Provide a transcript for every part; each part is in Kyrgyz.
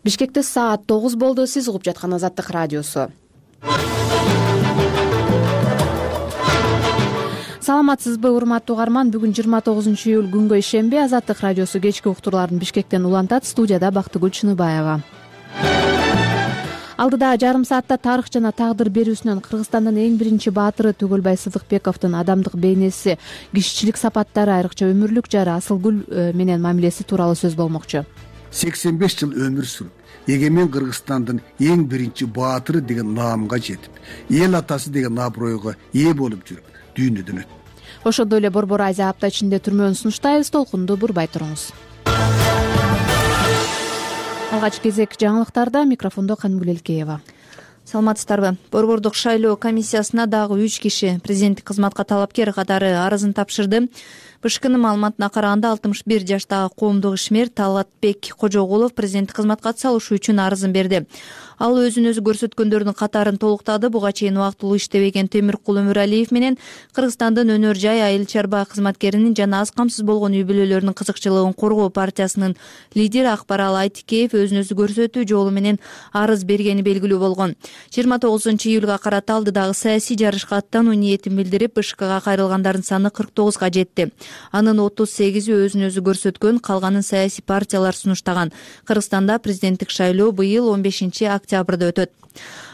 Бишкекте саат 9 болду. Сиз угуп жаткан Азаттык радиосу. Саламатсызбы, урматтуу угарман? Бүгүн 29-июль күнгө ишемби. Азаттык радиосу кечки уктурларын Бишкектен улантат. Студияда Бактыгүл Чыныбаева. Алдыда жарым саатта тарых жана тагдыр берүүсүнөн Кыргызстандын эң биринчи баатыры Түгөлбай Сыдыкбековдун адамдык бейнеси, кишичилик сапаттары, айрыкча өмүрлүк жары Асылгүл менен мамилеси тууралуу сөз болмокчу. 85 жыл өмүр сүрүп, эгемен Кыргызстандын эң биринчи баатыры деген наамга жетип, эл атасы деген абройго ээ болуп жүрүп, дүйнөдөн өттү. Ошондой эле Борбор Азия апта ичинде түрмөнү сунуштайбыз. Толкунду бурбай туруңуз. Алгач кезек жаңылыктарда. Микрофондо Канымгүл Элкеева. Саламатсыздарбы? Борбордук шайлоо комиссиясына дагы 3 киши президенттик кызматка талапкер катары арызын тапшырды. БШКнын маалыматына караганда 61 жаштагы коомдук ишмер Талгатбек Кожогулов президенттик кызматка атыса алышы үчүн арызын берди. Ал өзүн өзү көрсөткөндөрдүн катарын толуктады. Буга чейин убактылуу иштебеген Темиркул Өмүралиев менен Кыргызстандын өнөр жай айыл чарба кызматкеринин жана аз камсыз болгон үй бүлөлөрүнүн кызыкчылыгын коргоо партиясынын лидери Акбарал Айтикеев өзүн өзү көрсөтүү жолу менен арыз бергени белгилүү болгон. 29-июлга карата алдыдагы саясий жарышка аттануу ниетин билдирип, БШКга кайрылгандардын саны 49га жетти. Анын 38-и өзүн өзү көрсөткөн, калганын саясий партиялар сунуштаган. Кыргызстанда президенттик шайлоо быйыл 15-октябрда өтөт.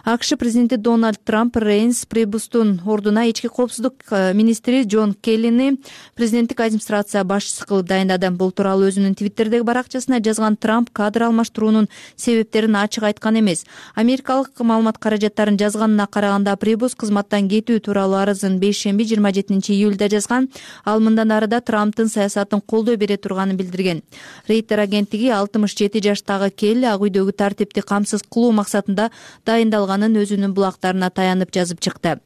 АКШ президенти Дональд Трамп Рейнс Прибустун ордуна ички коопсуздук министри Джон Келлини президенттик администрация башчысы кылып дайындады. Бул тууралуу өзүнүн Твиттердеги баракчасына жазган Трамп кадр алмаштыруунун себептерин ачык айткан эмес. Америкалык маалымат каражаттарын жазганына караганда, Прибус кызматтан кетүү тууралуу арызын бейшемби 27-июлда жазган. Ал мындан ары да Трамптын саясатын колдой бере турганын билдирген. Рейтер агенттиги 67 жаштагы Келли ак үйдөгү тартипти камсыз кылуу максатында дайындалганын өзүнүн булактарына таянып жазып чыкты.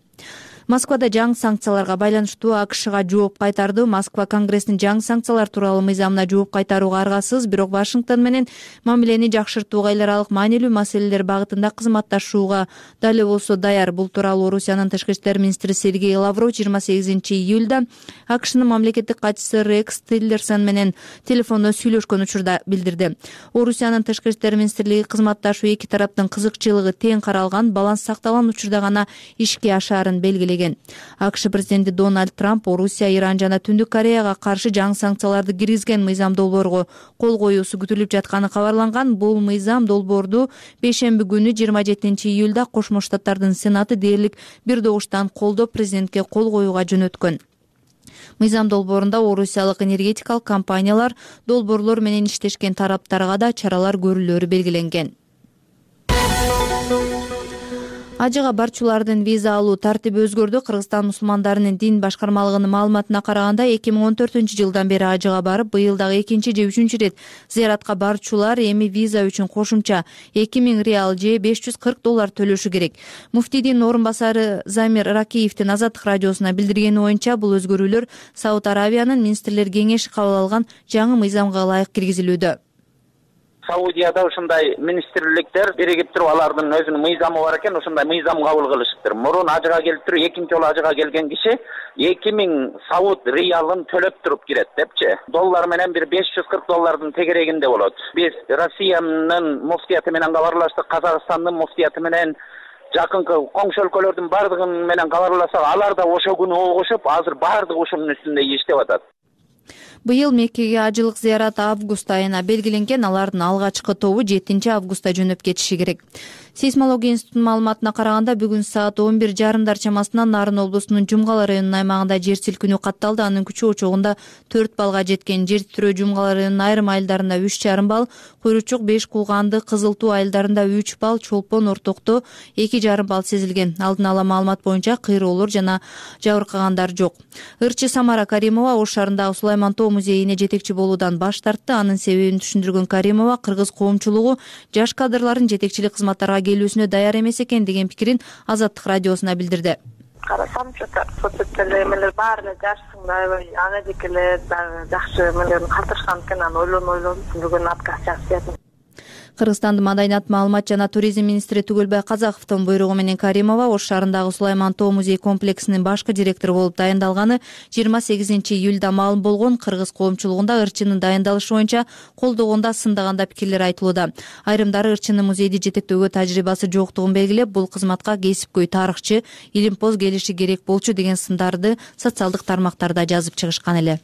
Москвада жаңы санкцияларга байланыштуу АКШга жооп кайтарды. Москва Конгресстин жаңы санкциялар тууралуу мыйзамына жооп кайтарууга аргасыз, бирок Вашингтон менен мамилени жакшыртууга эл аралык маанилүү маселелер багытында кызматташууга дали болсо даяр. Бул тууралуу Орусиянын тышкы иштер министри Сергей Лавров 28-июлда АКШнын мамлекеттик катчысы Рекс Тиллерсон менен телефондо сүйлөшкөн учурда билдирди. Орусиянын тышкы иштер министрлиги кызматташуу эки тараптын кызыкчылыгы тең каралган, баланс сакталган учурда гана ишке ашаарын белгилеген. АКШ президенти Дональд Трамп Орусия, Иран жана Түндүк Кореяга каршы жаңы санкцияларды киргизген мыйзам долбоорго кол коюусу күтүлүп жатканы кабарланган. Бул мыйзам долбоорду бейшемби күнү 27-июлда Кошмо Штаттардын Сенаты дээрлик бир добуштан колдоп президентке кол коюуга жөнөткөн. Мыйзам долбоорунда орусиялык энергетикалык компаниялар, долбоорлор менен иштешкен тараптарга да чаралар көрүлөөрү белгиленген. Ажыга барчулардын виза алуу тартиби өзгөрдү. Кыргызстан мусулмандарынын дин башкармалыгынын маалыматына караганда 2014-жылдан бери ажыга барып, быйыл дагы 2 же 3 рет зыяратка барчулар эми виза үчүн кошумча 2000 реал же $540 төлөшү керек. Муфтийдин орун басары Замир Ракиевдин Азаттык радиосуна билдиргени боюнча, бул өзгөрүүлөр Сауд Аравиянын министрлер кеңеши кабыл алган жаңы мыйзамга ылайык киргизилүүдө. Саудияда ушундай министрликтер биригип туруп алардын өзүнүн мыйзамы бар экен, ушундай мыйзам кабыл кылышыптыр. Мурун ажыга келип туруп, экинчи жолу ажыга келген киши 2000 Сауд риалын төлөп туруп кирет депчи. Доллар менен бир $540 тегерегинде болот. Биз Россиянын муфтияты менен кабарлаштык, Казакстандын муфтияты менен, жакынкы коңшу өлкөлөрдүн бардыгы менен кабарласак, алар да ошо күнү огушуп, азыр бардыгы ушунун үстүндө иштеп атат. Быйыл Меккеге ажылык зыярат август айына белгиленген. Алардын алгачкы тобу 7-августта жөнөп кетиши керек. Сейсмология институтунун маалыматына караганда, бүгүн саат 11:30 чамасынан Нарын облусунун Жумгала районунун аймагында жер силкинүү катталды. Анын күчү очогунда 4 балга жеткен. Жер титрөө Жумгала районунун айрым айылдарында 3,5 балл, Куйручук, Беш Кулганды, Кызыл Туу айылдарында 3 балл, Чолпон, Ортокто 2,5 балл сезилген. Алдын ала маалымат боюнча кыйроолор жана жабыркагандар жок. Ырчы Самара Каримова Ош шаарындагы Сулайман Тоо музейине жетекчи болуудан баш тартты. Анын себебин түшүндүргөн Каримова, кыргыз коомчулугу жаш кадрлардын жетекчилик кызматтарга келүүсүнө даяр эмес экен деген пикирин Азаттык радиосуна билдирди. Карасам, соцсеттеги эмелер баары эле жашсың, аябай ага жекелер дагы жакшы эмелерин калтырышкан экен. Анан ойлонуп бүгүн отказ жазып бердим. Кыргызстандын Маданият, маалымат жана туризм министри Түгөлбай Казаковдун буйругу менен Каримова Ош шаарындагы Сулайман Тоо музей комплексинин башкы директору болуп дайындалганы 28 июлда маалым болгон. Кыргыз коомчулугунда ырчынын дайындалышы боюнча колдогондо, сындаганда пикирлер айтылууда. Айрымдары ырчынын музейди жетектөөгө тажрыйбасы жоктугун белгилеп, бул кызматка кесипкөй тарыхчы, илимпоз келиши керек болчу деген сындарды социалдык тармактарда жазып чыгышкан эле.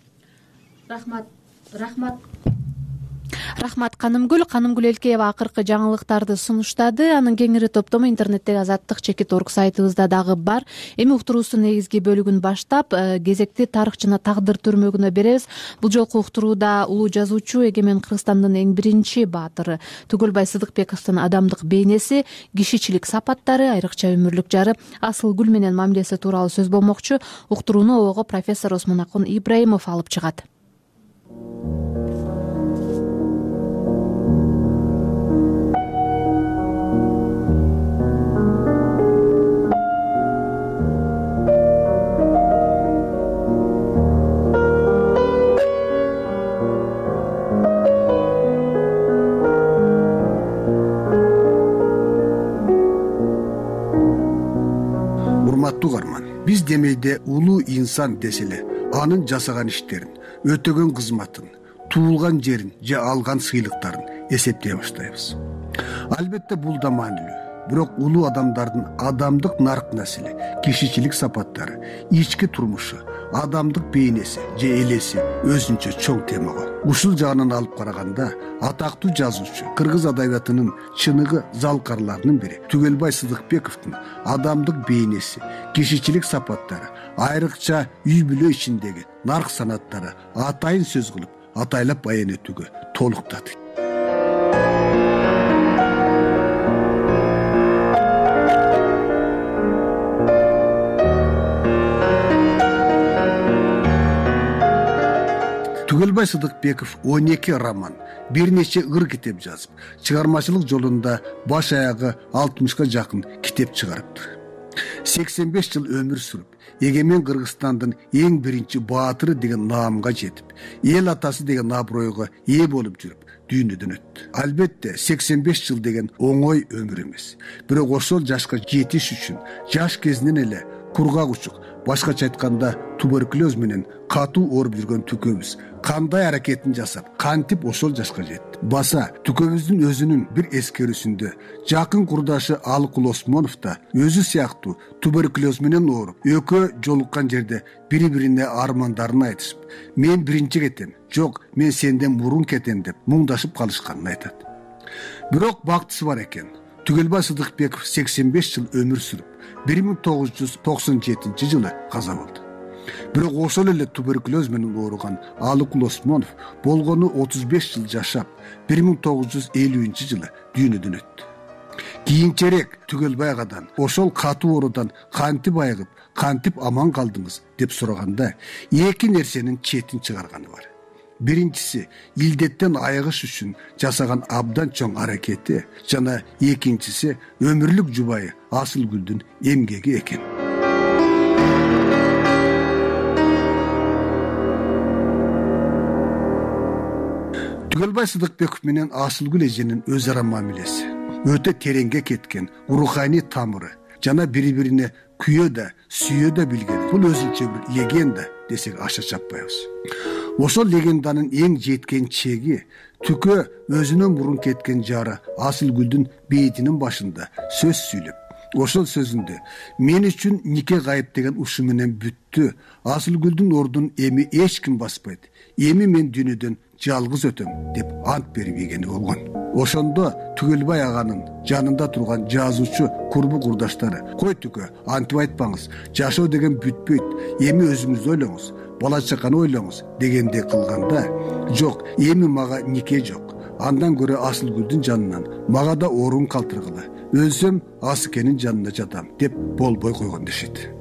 Рахмат Канымгүл Элкеева акыркы жаңылыктарды сунуштады. Анын кеңири топтому интернеттеги Азаттык.org сайтыбызда дагы бар. Эми уктуруубуздун негизги бөлүгүн баштап, кезекти тарых жана тагдыр төрмөгүнө беребиз. Бул жолку уктурууда улуу жазуучу, эгемен Кыргызстандын эң биринчи баатыры Түгөлбай Сыдыкбековдун адамдык бейнеси, кишичилик сапаттары, айрыкча өмүрлүк жары Асылгүл менен мамилеси тууралуу сөз болмокчу. Уктурууну обого профессор Осмонакун Ибраимов алып чыгат. Урматтуу угарман, биз демейде улуу инсан деселе анын жасаган иштерин, өтөгөн кызматын, туулган жерин же алган сыйлыктарын эсептей баштайбыз. Албетте бул да маанилүү. Бирок улуу адамдардын адамдык нарк насили, кишичилик сапаттары, ички турмушу, адамдык бейнеси же элеси өзүнчө чоң тема го. Ушул жагынан алып караганда, атактуу жазуучу, кыргыз адабиятынын чыныгы залкарларынын бири Түгөлбай Сыдыкбековдун адамдык бейнеси, кишичилик сапаттары, айрыкча үй бүлө ичиндеги нарк санаттары атайын сөз кылып, атайлап баян этүүгө толуктады. Түгөлбай Сыдыкбеков 12 роман, бир нече ыр китеп жазып, чыгармачылык жолунда баш аягы 60га жакын китеп чыгарыптыр. 85 жыл өмүр сүрүп, эгемен Кыргызстандын эң биринчи баатыры деген наамга жетип, эл атасы деген абройго ээ болуп жүрүп, дүйнөдөн өттү. Албетте 85 жыл деген оңой өмүр эмес. Бирок ошол жашка жетиш үчүн жаш кезинен эле кургак учук, башкача айтканда туберкулез менен катуу ооруп жүргөн түкөбүз кандай аракетин жасап, кантип ошол жашка жетти. Баса түкөбүздүн өзүнүн бир эскерүүсүндө жакын курдашы Алыкул Осмонов да өзү сыяктуу туберкулез менен ооруп, экөө жолуккан жерде бири-бирине армандарын айтышып, мен биринчи кетем, жок, мен сенден мурун кетем деп муңдашып калышканын айтат. Бирок бактысы бар экен. Түгөлбай Сыдыкбеков 85 жыл өмүр сүрүп, 1997 жылы каза болду. Бирок ошол эле туберкулез менен ооруган Алыкул Осмонов болгону 35 жыл жашап, 1950 жылы дүйнөдөн өттү. Кийинчерээк Түгөлбай агадан ошол катуу оорудан кантип айыгып, кантип аман калдыңыз деп сураганда, эки нерсенин четин чыгарганы бар. Биринчиси илдеттен айыгыш үчүн жасаган абдан чоң аракети, жана экинчиси өмүрлүк жубайы Асылгүлдүн эмгеги экен. Түгөлбай Сыдыкбеков менен Асылгүл эженин өз ара мамилеси өтө тереңге кеткен, руханий тамыры жана бири-бирине күйө да, сүйө да билген. Бул өзүнчө бир легенда десек аша чаппайбыз. Ошол легенданын эң жеткен чеги Түкө өзүнөн мурун кеткен жары Асылгүлдүн бейитинин башында сөз сүйлөп, ошол сөзүндө мен үчүн нике кайып деген ушу менен бүттү. Асылгүлдүн ордун эми эч ким баспайт. Эми мен дүйнөдөн жалгыз өтөм деп ант берип ийгени болгон. Ошондо Түгөлбай аганын жанында турган жазуучу курбу курдаштары, кой Түкө, антип айтпаңыз, жашоо деген бүтпөйт, эми өзүңүздү ойлоңуз, бала чаканы ойлоңуз дегендей кылганда, жок, эми мага нике жок. Андан көрө Асылгүлдүн жанынан мага да орун калтыргыла. Өлсөм Асыкенин жанына жатам деп болбой койгон дешет.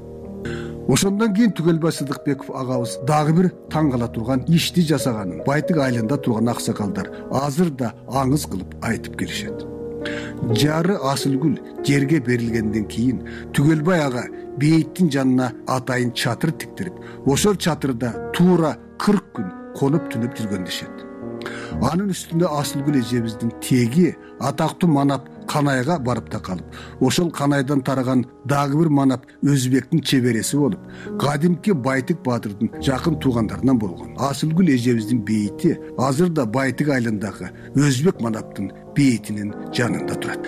Ошондон кийин Түгөлбай Сыдыкбеков агабыз дагы бир таң кала турган ишти жасаганын Байтык айылында турган аксакалдар азыр да аңыз кылып айтып келишет. Жары Асылгүл жерге берилгенден кийин Түгөлбай ага бейиттин жанына атайын чатыр тиктирип, ошол чатырда туура 40 күн конуп түнөп жүргөн дешет. Анын үстүндө Асылгүл эжебиздин теги атактуу манап Канайга барып такалып, ошол Канайдан тараган дагы бир манап Өзбектин чебереси болуп, кадимки Байтык баатырдын жакын туугандарынан болгон. Асылгүл эжебиздин бейити азыр да Байтык айылындагы Өзбек манаптын бейитинин жанында турат.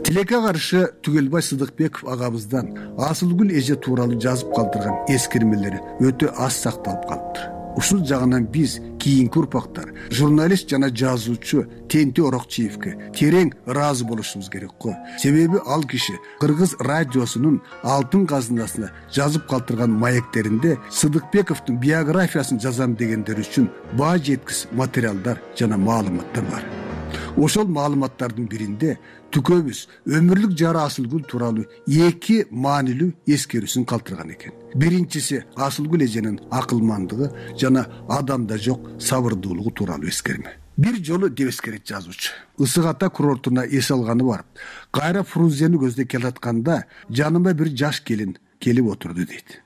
Тилекке каршы Түгөлбай Сыдыкбеков агабыздан Асылгүл эже тууралуу жазып калтырган эскермелери өтө аз сакталып калыптыр. Ушул жагынан биз кийинки урпактар журналист жана жазуучу Тенти Орокчиевке терең ыраазы болушубуз керек го. Себеби ал киши Кыргыз радиосунун алтын казынасына жазып калтырган маектеринде Сыдыкбековдун биографиясын жазам дегендер үчүн баа жеткис материалдар жана маалыматтар бар. Ошол маалыматтардын биринде Түкөбүз өмүрлүк жары Асылгүл тууралуу эки маанилүү эскерүүсүн калтырган экен. Биринчиси Асылгүл эженин акылмандыгы жана адамда жок сабырдуулугу тууралуу эскерме. Бир жолу деп эскерет жазуучу. Ысык Ата курортуна эс алганы барып, кайра Фрунзени көздөй келатканда жаныма бир жаш келин келип отурду дейт.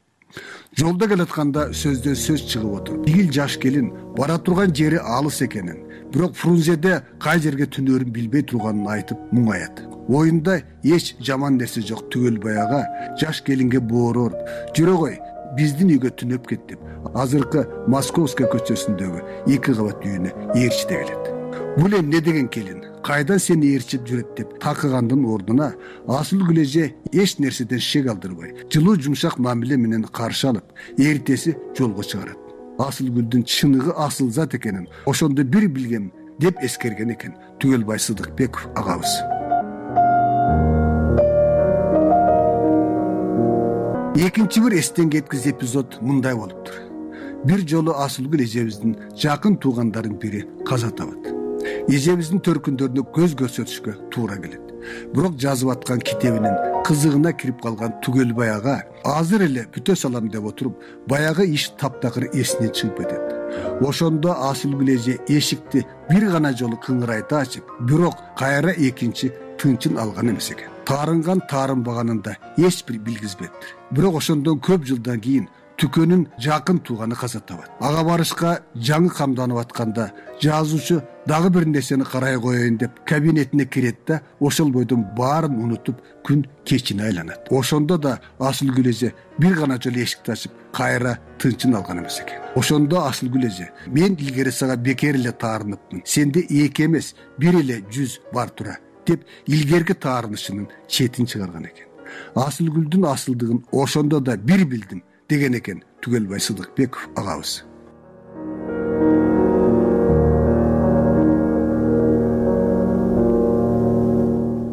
Жолдо келатканда сөздөн сөз чыгып отуруп, бигил жаш келин бара турган жери алыс экенин, бирок Фрунзеде кай жерге түнөрүн билбей турганын айтып муңаят. Оюнда эч жаман нерсе жок. Түгөлбай ага жаш келинге боорор, жүрө кой, биздин үйгө түнөп кет деп, азыркы Московская көчөсүндөгү 2 кабат үйүнө ээрчите келет. Бул эмне деген келин? Кайдан сени ээрчип жүрөт деп такыгандын ордуна Асылгүл эже эч нерседен шек алдырбай, жылуу жумшак мамиле менен каршы алып, эртеси жолго чыгарат. Асылгүлдүн чыныгы асыл зат экенин ошондо бир билгем деп эскерген экен Түгөлбай Сыдыкбеков агабыз. Экинчи бир эстен кеткиз эпизод мындай болуптур. Бир жолу Асылгүл эжебиздин жакын туугандарын бири каза табат. Эжебиздин төркүндөрүнө көз көрсөтүшкө туура келет. Бирок жазып аткан китебинин кызыгына кирип калган Түгөлбай ага азыр эле бүтө салам деп отуруп, баягы иш таптакыр эсинен чыгып кетет. Ошондо Асылгүл эже эшикти бир гана жолу кыңырайта ачып, бирок кайра экинчи тынчын алган эмес экен. Таарынган таарынбаганын да эч бир билгизбептир. Бирок ошондон көп жылдан кийин Түкөнүн жакын тууганы каза табат. Ага барышка жаңы камданып атканда жазуучу дагы бир нерсени карай коеюн деп кабинетине кирет да, ошол бойдон баарын унутуп күн кечине айланат. Ошондо да Асылгүл эже бир гана жолу эшикти ачып, кайра тынчын алган эмес экен. Ошондо Асылгүл эже: "Мен илгери сага бекер эле таарыныпмын. Сенде 2 эмес, 1 эле 100 бар тура" деп илгерки таарынышынын четин чыгарган экен. Асылгүлдүн асылдыгын ошондо да бир билдим деген экен Түгөлбай Сыдыкбеков агабыз.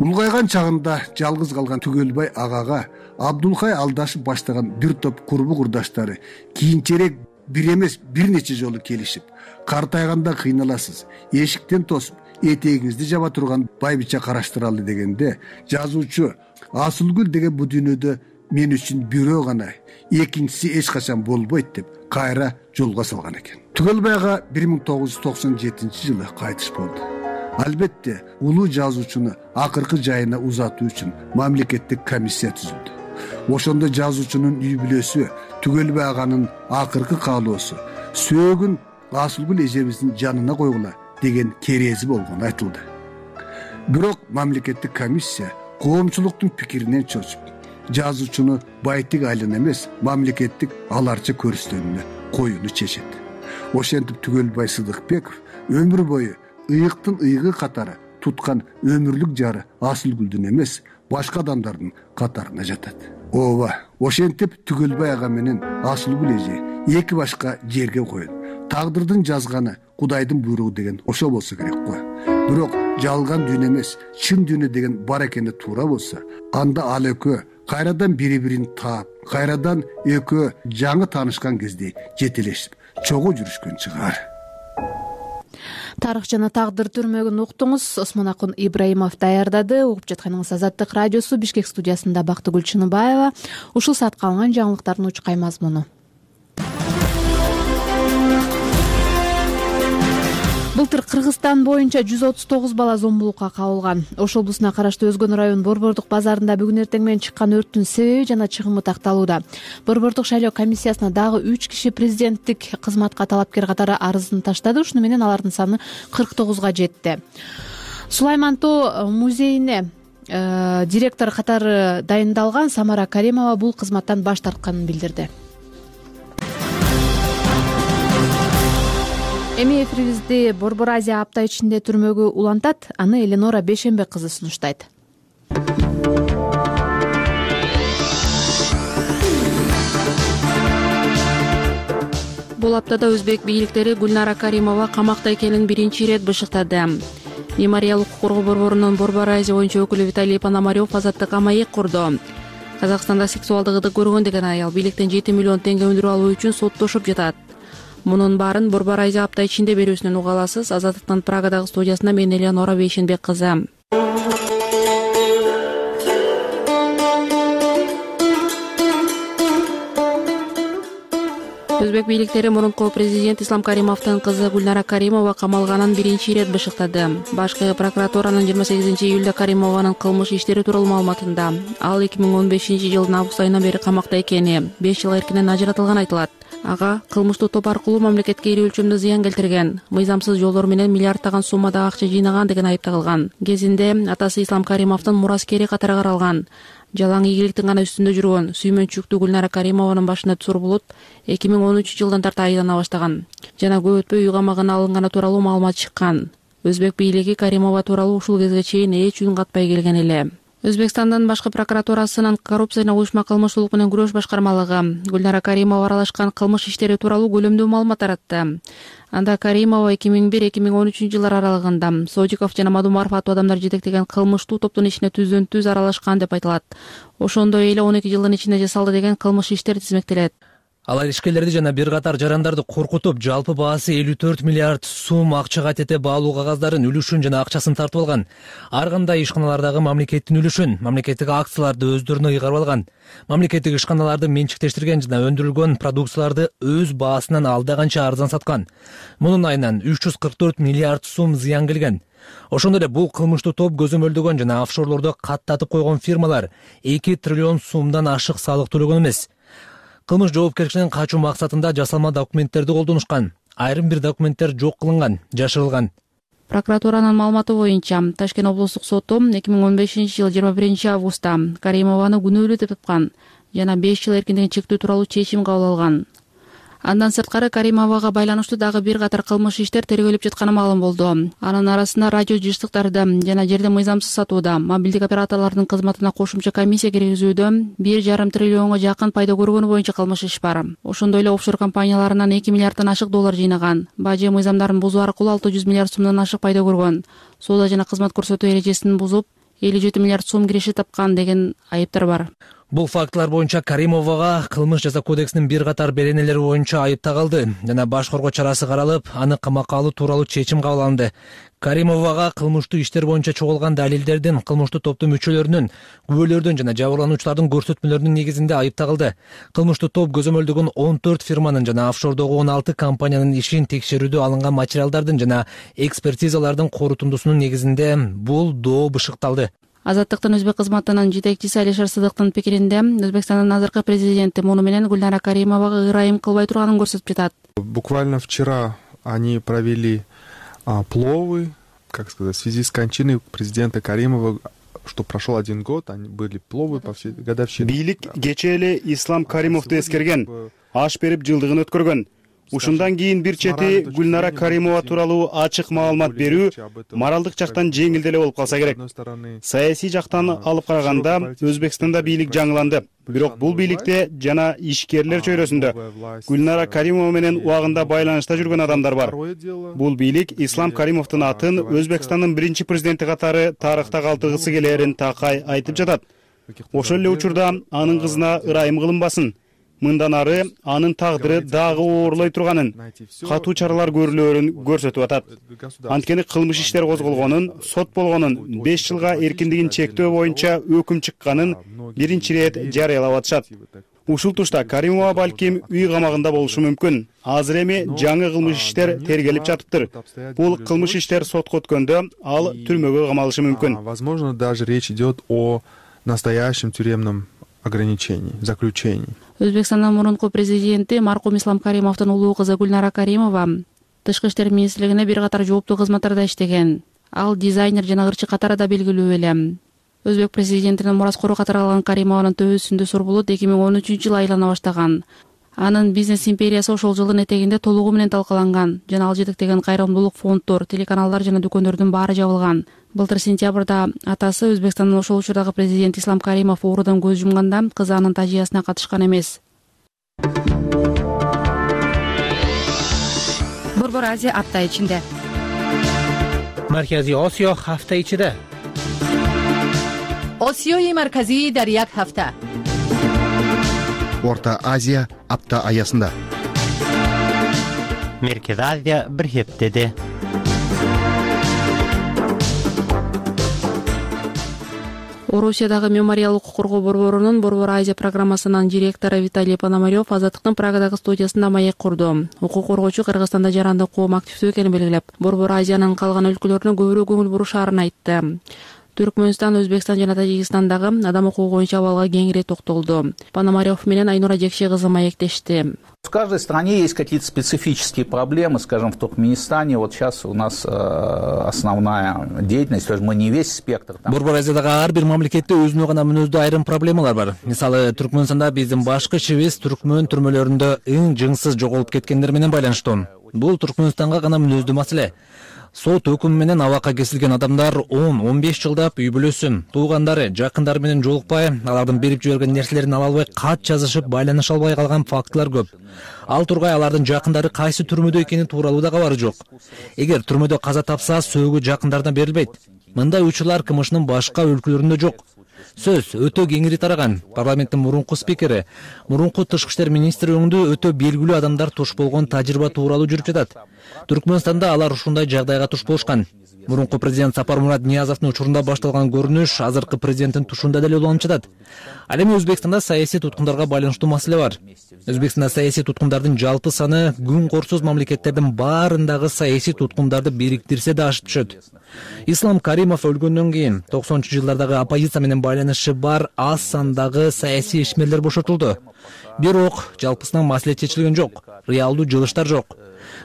Улгайган чагында жалгыз калган Түгөлбай агага Абдулхай Алдашев баштаган бир топ курбу курдаштары кийинчерээк бир эмес бир нече жолу келишип, картайганда кыйналасыз, эшиктен тосуп, этегиңизди жаба турган байбича караштыралы дегенде, жазуучу Асылгүл деген бу дүйнөдө мен үчүн бирөө гана, экинчиси эч качан болбойт деп кайра жолго салган экен. Түгөлбай ага 1997-жылы кайтыш болду. Албетте, улуу жазуучуну акыркы жайына узатуу үчүн мамлекеттик комиссия түзүлдү. Ошондо жазуучунун үй бүлөсү Түгөлбай аганын акыркы каалоосу сөөгүн Асылгүл эжебиздин жанына койгула деген керези болгону айтылды. Бирок мамлекеттик комиссия коомчулуктун пикиринен чочуп, жазуучуну Байтык айылына эмес, мамлекеттик аларча көрүстөнүнө коюуну чечет. Ошентип Түгөлбай Сыдыкбеков өмүр бою ыйыктын ыйыгы катары туткан өмүрлүк жары Асылгүлдүн эмес, башка адамдардын катарына жатат. Ооба, ошентип Түгөлбай ага менен Асылгүл эже эки башка жерге коюлду. Тагдырдын жазганы Кудайдын буйругу деген ошо болсо керек го. Бирок жалган дүйнө эмес, чын дүйнө деген бар экени туура болсо, анда ал экөө кайрадан бири-бирин таап, кайрадан экөө жаңы таанышкан кезде жетелешип, чогуу жүрүшкөн чыгар. Тарых жана тагдыр түрмөгүн уктуңуз. Осмонакун Ибраимов даярдады. Угуп жатканыңыз Азаттык радиосу, Бишкек студиясында Бактыгүл Чыныбаева. Ушул саатка алынган жаңылыктардын учкай мазмуну. Былтыр Кыргызстан боюнча 139 бала зомбулукка кабылган. Ош облусуна караштуу Өзгөн район Борбордук базарында бүгүн эртең менен чыккан өрттүн себеби жана чыгымы такталууда. Борбордук шайлоо комиссиясына дагы 3 киши президенттик кызматка талапкер катары арызын таштады. Ушуну менен алардын саны 49га жетти. Сулайман Тоо музейине директор катары дайындалган Самара Каримова бул кызматтан баш тартканын билдирди. Эми эфирибизди Борбор Азия апта ичинде түрмөгө улантат. Аны Эленора Бешенбек кызы сунуштайт. Бул аптада өзбек бийликтери Гүлнара Каримова камакта экенин биринчи ирет бышыктады. Мемориалдык укук коргоо борборунун Борбор Азия боюнча өкүлү Виталий Пономарев азаттык амайык курду. Казакстанда сексуалдыгы көргөн деген аял бийликтен 7 миллион теңге өндүрүп алуу үчүн соттошуп жатат. Мунун баарын Борбор Азия апта ичинде берүүсүнөн уга аласыз. Азаттыктын Прагадагы студиясында мен Эленора Бейшенбек кызы. Өзбек бийликтери мурунку президент Ислам Каримовдун кызы Гүлнара Каримова камалганын биринчи ирет бышыктады. Башкы прокуратуранын 28-июлда Каримованын кылмыш иштери тууралуу маалыматында ал 2015-жылдын август айынан бери камакта экени, 5 жыл эркинен ажыратылганы айтылат. Ага кылмыштуу топ аркылуу мамлекетке ири өлчөмдө зыян келтирген, мыйзамсыз жолдор менен миллиарддаган суммада акча жыйнаган деген айып тагылган. Кезинде атасы Ислам Каримовдун мураскери катары каралган. Жалаң ийгиликтин гана үстүндө жүргөн сүймөнчүктүү Гүлнара Каримованын башына түсүр булут 2013-жылдан тарта айлана баштаган жана көп өтпөй үй камагына алынганы тууралуу маалымат чыккан. Өзбек бийлиги Каримова тууралуу ушул кезге чейин эч үн катпай келген эле. Өзбекстандын башкы прокуратурасынын коррупция жана уюшма кылмыштуулук менен күрөш башкармалыгы Гүлнара Каримова аралашкан кылмыш иштери тууралуу көлөмдүү маалымат таратты. Анда Каримова 2001-2013 жылдар аралыгында Содиков жана Мадумаров аттуу адамдар жетектеген кылмыштуу топтун ишине түздөн түз аралашкан деп айтылат. Ошондой эле 12 жылдын ичинде жасалды деген кылмыш иштер тизмектелет. Алар ишкерлерди жана бир катар жарандарды коркутуп, жалпы баасы 54 миллиард сум акчага тете баалуу кагаздарын, үлүшүн жана акчасын тартып алган. Ар кандай ишканалардагы мамлекеттин үлүшүн, мамлекеттик акцияларды өздөрүнө ыйгарып алган. Мамлекеттик ишканаларды менчиктештирген жана өндүрүлгөн продукцияларды өз баасынан алдаганча арзан саткан. Мунун айынан 344 миллиард сум зыян келген. Ошондой эле бул кылмыштуу топ көзөмөлдөгөн жана офшорлордо каттатып койгон фирмалар 2 триллион сумдан ашык салык төлөгөн эмес. Кылмыш жоопкерчилигинен качуу максатында жасалма документтерди колдонушкан. Айрым бир документтер жок кылынган, жашырылган. Прокуратуранын маалыматы боюнча Ташкент облустук соту 2015-жыл 21 августта Каримованы күнөөлүү деп тапкан жана 5 жыл эркиндигин чектөө тууралуу чечим кабыл алган. Андан сырткары Каримовага байланыштуу дагы бир катар кылмыш иштер тергөөлөп жатканы маалым болду. Анын арасында радио жыштыктарды жана жерди мыйзамсыз сатууда, мобилдик операторлордун кызматына кошумча комиссия киргизүүдө 1,5 триллионго жакын пайда көргөнү боюнча кылмыш иш бар. Ошондой эле офшор компанияларынан 2 миллиарддан ашык доллар жыйнаган. Бажы мыйзамдарын бузуу аркылуу 600 миллиард сумдан ашык пайда көргөн. Соода жана кызмат көрсөтүү эрежесин бузуп 57 миллиард сум киреше тапкан деген айыптар бар. Бул фактылар боюнча Каримовага кылмыш жаза кодексинин бир катар беренелери боюнча айып тагылды жана баш коргоо чарасы каралып, аны камакка алуу тууралуу чечим кабыл алынды. Каримовага кылмыштуу иштер боюнча чогулган далилдердин, кылмыштуу топтун мүчөлөрүнүн, күбөлөрдүн жана жабырлануучулардын көрсөтмөлөрүнүн негизинде айып тагылды. Кылмыштуу топ көзөмөлдөгөн 14 фирманын жана офшордогу 16 компаниянын ишин текшерүүдө алынган материалдардын жана экспертизалардын корутундусунун негизинде бул доо бышыкталды. Азаттыктын өзбек кызматынын жетекчиси Алишер Сыдыктын пикиринде Өзбекстандын азыркы президенти муну менен Гүлнара Каримовага ырайым кылбай турганын көрсөтүп жатат. Буквально вчера они провели пловы, как сказать, в связи с кончиной президента Каримова, что прошел 1 год, они были пловы по всей годовщине. Бийлик кечээ эле Ислам Каримовду эскерген, аш берип жылдыгын өткөргөн. Ушундан кийин бир чети Гүлнара Каримова тууралуу ачык маалымат берүү моралдык жактан жеңил деле болуп калса керек. Саясий жактан алып караганда Өзбекстанда бийлик жаңыланды. Бирок бул бийликте жана ишкерлер чөйрөсүндө Гүлнара Каримова менен убагында байланышта жүргөн адамдар бар. Бул бийлик Ислам Каримовдун атын Өзбекстандын биринчи президенти катары тарыхта калтыргысы келерин такай айтып жатат. Ошол эле учурда анын кызына ырайым кылынбасын. Мындан ары анын тагдыры дагы оорлой турганын, катуу чаралар көрүлөрүн көрсөтүп атат. Анткени кылмыш иштер козголгонун, сот болгонун, 5 жылга эркиндигин чектөө боюнча өкүм чыкканын биринчи ирет жарыялап атышат. Ушул тушта Каримова балким үй камагында болушу мүмкүн. Азыр эми жаңы кылмыш иштер тергелип жатыптыр. Бул кылмыш иштер сотко өткөндө ал түрмөгө камалышы мүмкүн. Возможно, даже речь идет о настоящем тюремном ограничении, заключении. Өзбекстандын мурунку президенти маркум Ислам Каримовдун улуу кызы Гүлнара Каримова Тышкы иштер министрлигине бир катар жооптуу кызматтарда иштеген. Ал дизайнер жана ырчы катары да белгилүү эле. Өзбек президентинин мураскору катары алган Каримованын төбөсүндө Сурбулут 2013-жылы айлана баштаган. Анын бизнес империясы ошол жылдын этегинде толугу менен талкаланган жана ал жетектеген кайрымдуулук фонддор, телеканалдар жана дүкөндөрдүн баары жабылган. Былтыр сентябрда атасы Өзбекстандын ошол учурдагы президенти Ислам Каримов оорудан көз жумганда кызы анын тажыясына катышкан эмес. Борбор Азия апта ичинде. Марказий Осиё ҳафта ичиде. Осиёи марказӣ дар як ҳафта. Орта Азия апта аясында. Меркези Азия бир хептеде. Орусиядагы мемориалдык коргоо борборунун Борбор Азия программасынын директору Виталий Пономарев Азаттыктын Прагадагы студиясында маек курду. Укук коргоочу Кыргызстанда жарандык коом активдүү экенин белгилеп, Борбор Азиянын калган өлкөлөрүнө көбүрөөк көңүл бурушаарын айтты. Түркмөнстан, Өзбекстан жана Тажикстандагы адам укугу боюнча абалга кеңири токтолду. Пономарев менен Айнура Жекши кызы маектешти. В каждой стране есть какие-то специфические проблемы, скажем, в Туркменистане. Вот сейчас у нас основная деятельность, то есть мы не весь спектр. Борбор Азиядагы ар бир мамлекетте өзүнө гана мүнөздүү айрым проблемалар бар. Мисалы, Түркмөнстанда биздин башкы ишибиз түркмөн түрмөлөрүндө жыңсыз жоголуп кеткендер менен байланыштуу. Бул Түркмөнстанга гана мүнөздүү маселе. Сот өкүмү менен абакка кесилген адамдар 10-15 жылдап үй бүлөсү, туугандары, жакындары менен жолукпай, алардын берип жиберген нерселерин ала албай, кат жазышып, байланыша албай калган фактылар көп. Ал тургай алардын жакындары кайсы түрмөдө экени тууралуу да кабары жок. Эгер түрмөдө каза тапса, сөөгү жакындарына берилбейт. Мындай учурлар КМШнын башка өлкөлөрүндө жок. Сөз өтө кеңири тараган. Парламенттин мурунку спикери, мурунку тышкы иштер министри өңдө өтө белгилүү адамдар туш болгон тажрыйба тууралуу жүрүп жатат. Түркмөнстанда алар ушундай жагдайга туш болушкан. Мурунку президент Сапармурат Ниязовдун учурунда башталган көрүнүш азыркы президенттин тушунда деле уланып жатат. Ал эми Өзбекстанда саясий туткундарга байланыштуу маселе бар. Өзбекстанда саясий туткундардын жалпы саны күн корсуз мамлекеттердин баарындагы саясий туткундарды бириктирсе да ашып түшөт. Ислам Каримов өлгөндөн кийин 90-жылдардагы оппозиция менен байланышы бар аз сандагы саясий ишмерлер бошотулду. Бирок жалпысынан маселе чечилген жок, реалдуу жылыштар жок.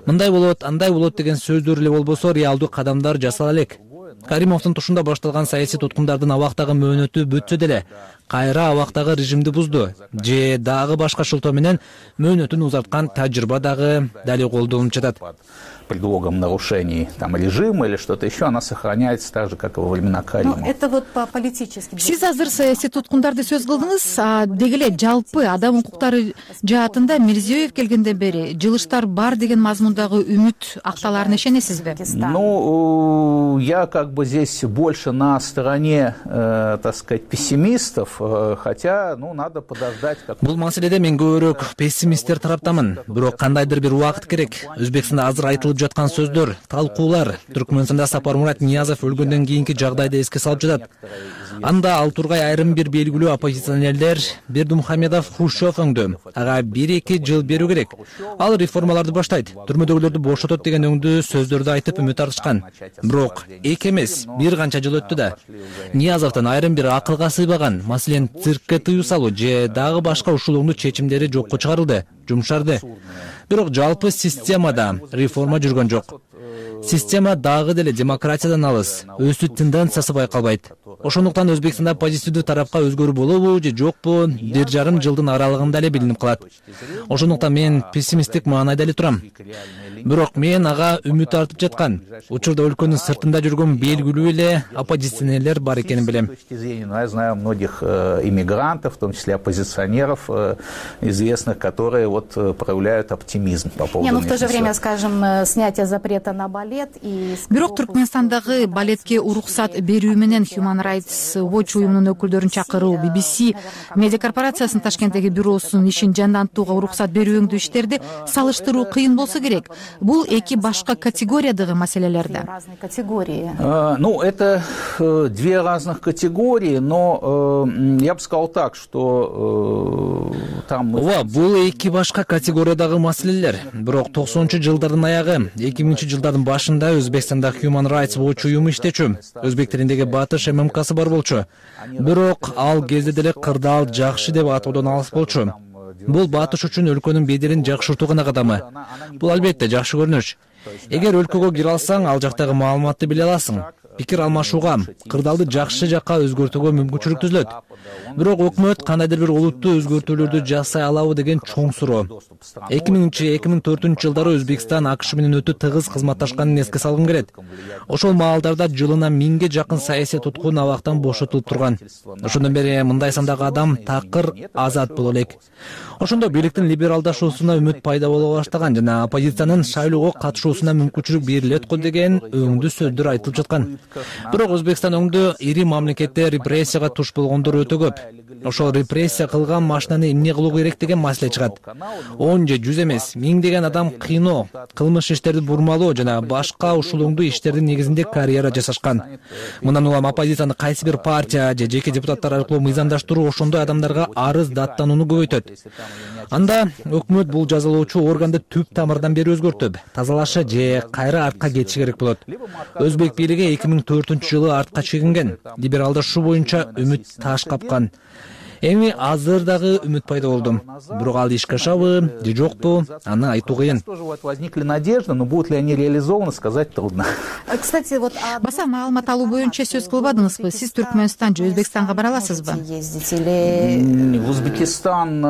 Мындай болот, андай болот деген сөздөр эле болбосо, реалдуу кадамдар жасала элек. Каримовдун тушунда башталган саясий туткундардын абактагы мөөнөтү бүтсө деле, кайра абактагы режимди бузду же дагы башка шылтоо менен мөөнөтүн узарткан тажрыйба дагы дали колдонулуп жатат. Предлогом нарушений режима или что-то еще, она сохраняется так же, как и во времена Каримова. Это вот по политическим. Сиз азыр саясий туткундарды сөз кылдыңыз, деги эле жалпы адам укуктары жаатында Мирзиёев келгенден бери жылыштар бар деген мазмундагы үмүт акталарына ишенесизби? Ну, я как бы здесь больше на стороне, так сказать, пессимистов, хотя, ну, надо подождать. Бул маселеде мен көбүрөөк пессимисттер тараптамын. Бирок кандайдыр бир убакыт керек. Өзбекстанда азыр айтылып жаткан сөздөр, талкуулар Түркмөнстанда Сапармурат Ниязов өлгөндөн кийинки жагдайды эске салып жатат. Анда ал тургай айрым бир белгилүү оппозиционерлер Бердымухамедов, Хрущев өңдө ага 1-2 жыл берүү керек. Ал реформаларды баштайт, түрмөдөгүлөрдү бошотот деген өңдүү сөздөрдү айтып үмүт артышкан. Бирок эки эмес, бир канча жыл өттү да. Ниязовдун айрым бир акылга сыйбаган, маселен циркке тыюу салуу же дагы башка ушул өңдүү чечимдери жокко чыгарылды, жумшарды. Бирок жалпы системада реформа жүргөн жок. Система дагы деле демократиядан алыс, өсүү тенденциясы байкалбайт. Ошондуктан Өзбекстанда позитивдүү тарапка өзгөрүү болобу же жокпу 1,5 жылдын аралыгында эле билинип калат. Ошондуктан мен пессимисттик маанайда эле турам. Бирок мен ага үмүт артып жаткан, учурда өлкөнүн сыртында жүргөн белгилүү эле оппозиционерлер бар экенин билем. Я знаю многих иммигрантов, в том числе оппозиционеров известных, которые вот проявляют оптимизм по поводу. В то же время, скажем, снятие запрета на Бали. бирок Түркмөнстандагы балетке уруксат берүү менен Human Rights Watch уюмунун өкүлдөрүн чакыруу, BBC медиа корпорациясынын Ташкенттеги бюросунун ишин жандантууга уруксат берүүңдүү иштерди салыштыруу кыйын болсо керек. Бул эки башка категориядагы маселелер да. Ну, это две разных категории, но я бы сказал так, что там... Бул эки башка категориядагы маселелер. Бирок 90-жылдардын аягы, 2000-жылдардын башында Өзбекстанда Human Rights Watch уюму иштечү. Өзбек тилиндеги Батыш ММКсы бар болчу. Бирок ал кезде деле кырдаал жакшы деп атоодон алыс болчу. Бул Батыш үчүн өлкөнүн беделин жакшыртуу гана кадамы. Бул албетте жакшы көрүнүш. Эгер өлкөгө кире алсаң, ал жактагы маалыматты биле аласың. Пикир алмашууга, кырдаалды жакшы жакка өзгөртүүгө мүмкүнчүлүк түзүлөт. Бирок өкмөт кандайдыр бир олуттуу өзгөртүүлөрдү жасай алабы деген чоң суроо. 2000-2004 жылдары Өзбекстан АКШ менен өтө тыгыз кызматташканын эске салгым келет. Ошол маалдарда жылына 1000ге жакын саясий туткун абактан бошотулуп турган. Ошондон бери мындай сандагы адам такыр азат боло элек. Ошондо бийликтин либералдашуусуна үмүт пайда боло баштаган жана оппозициянын шайлоого катышуусуна мүмкүнчүлүк берилет го деген өңдүү сөздөр айтылып жаткан. Бирок Өзбекстан өңдө ири мамлекетте репрессияга туш болгондор өтө көп. Ошол репрессия кылган машинаны эмне кылуу керек деген маселе чыгат. 10 же 100 эмес, 1000 деген адам кыйноо, кылмыш иштерди бурмалоо жана башка ушул өңдүү иштердин негизинде карьера жасашкан. Мындан улам оппозицияны кайсы бир партия же жеке депутаттар аркылуу мыйзамдаштыруу ошондой адамдарга арыз даттанууну көбөйтөт. Анда өкмөт бул жазалоочу органды түп тамырдан бери өзгөртүп, тазалашы же кайра артка кетиши керек болот. Өзбек бийлиги 2004-жылы артка чегинген, либералдашуу боюнча үмүт таш капкан. Эми азыр дагы үмүт пайда болду. Бирок ал ишке ашабы же жокпу, аны айтуу кыйын. Возникли надежды, но будут ли они реализованы, сказать трудно. Кстати, баса маалымат алуу боюнча сөз кылбадыңызбы? Сиз Түркмөнстан же Өзбекстанга бара аласызбы? В Узбекистан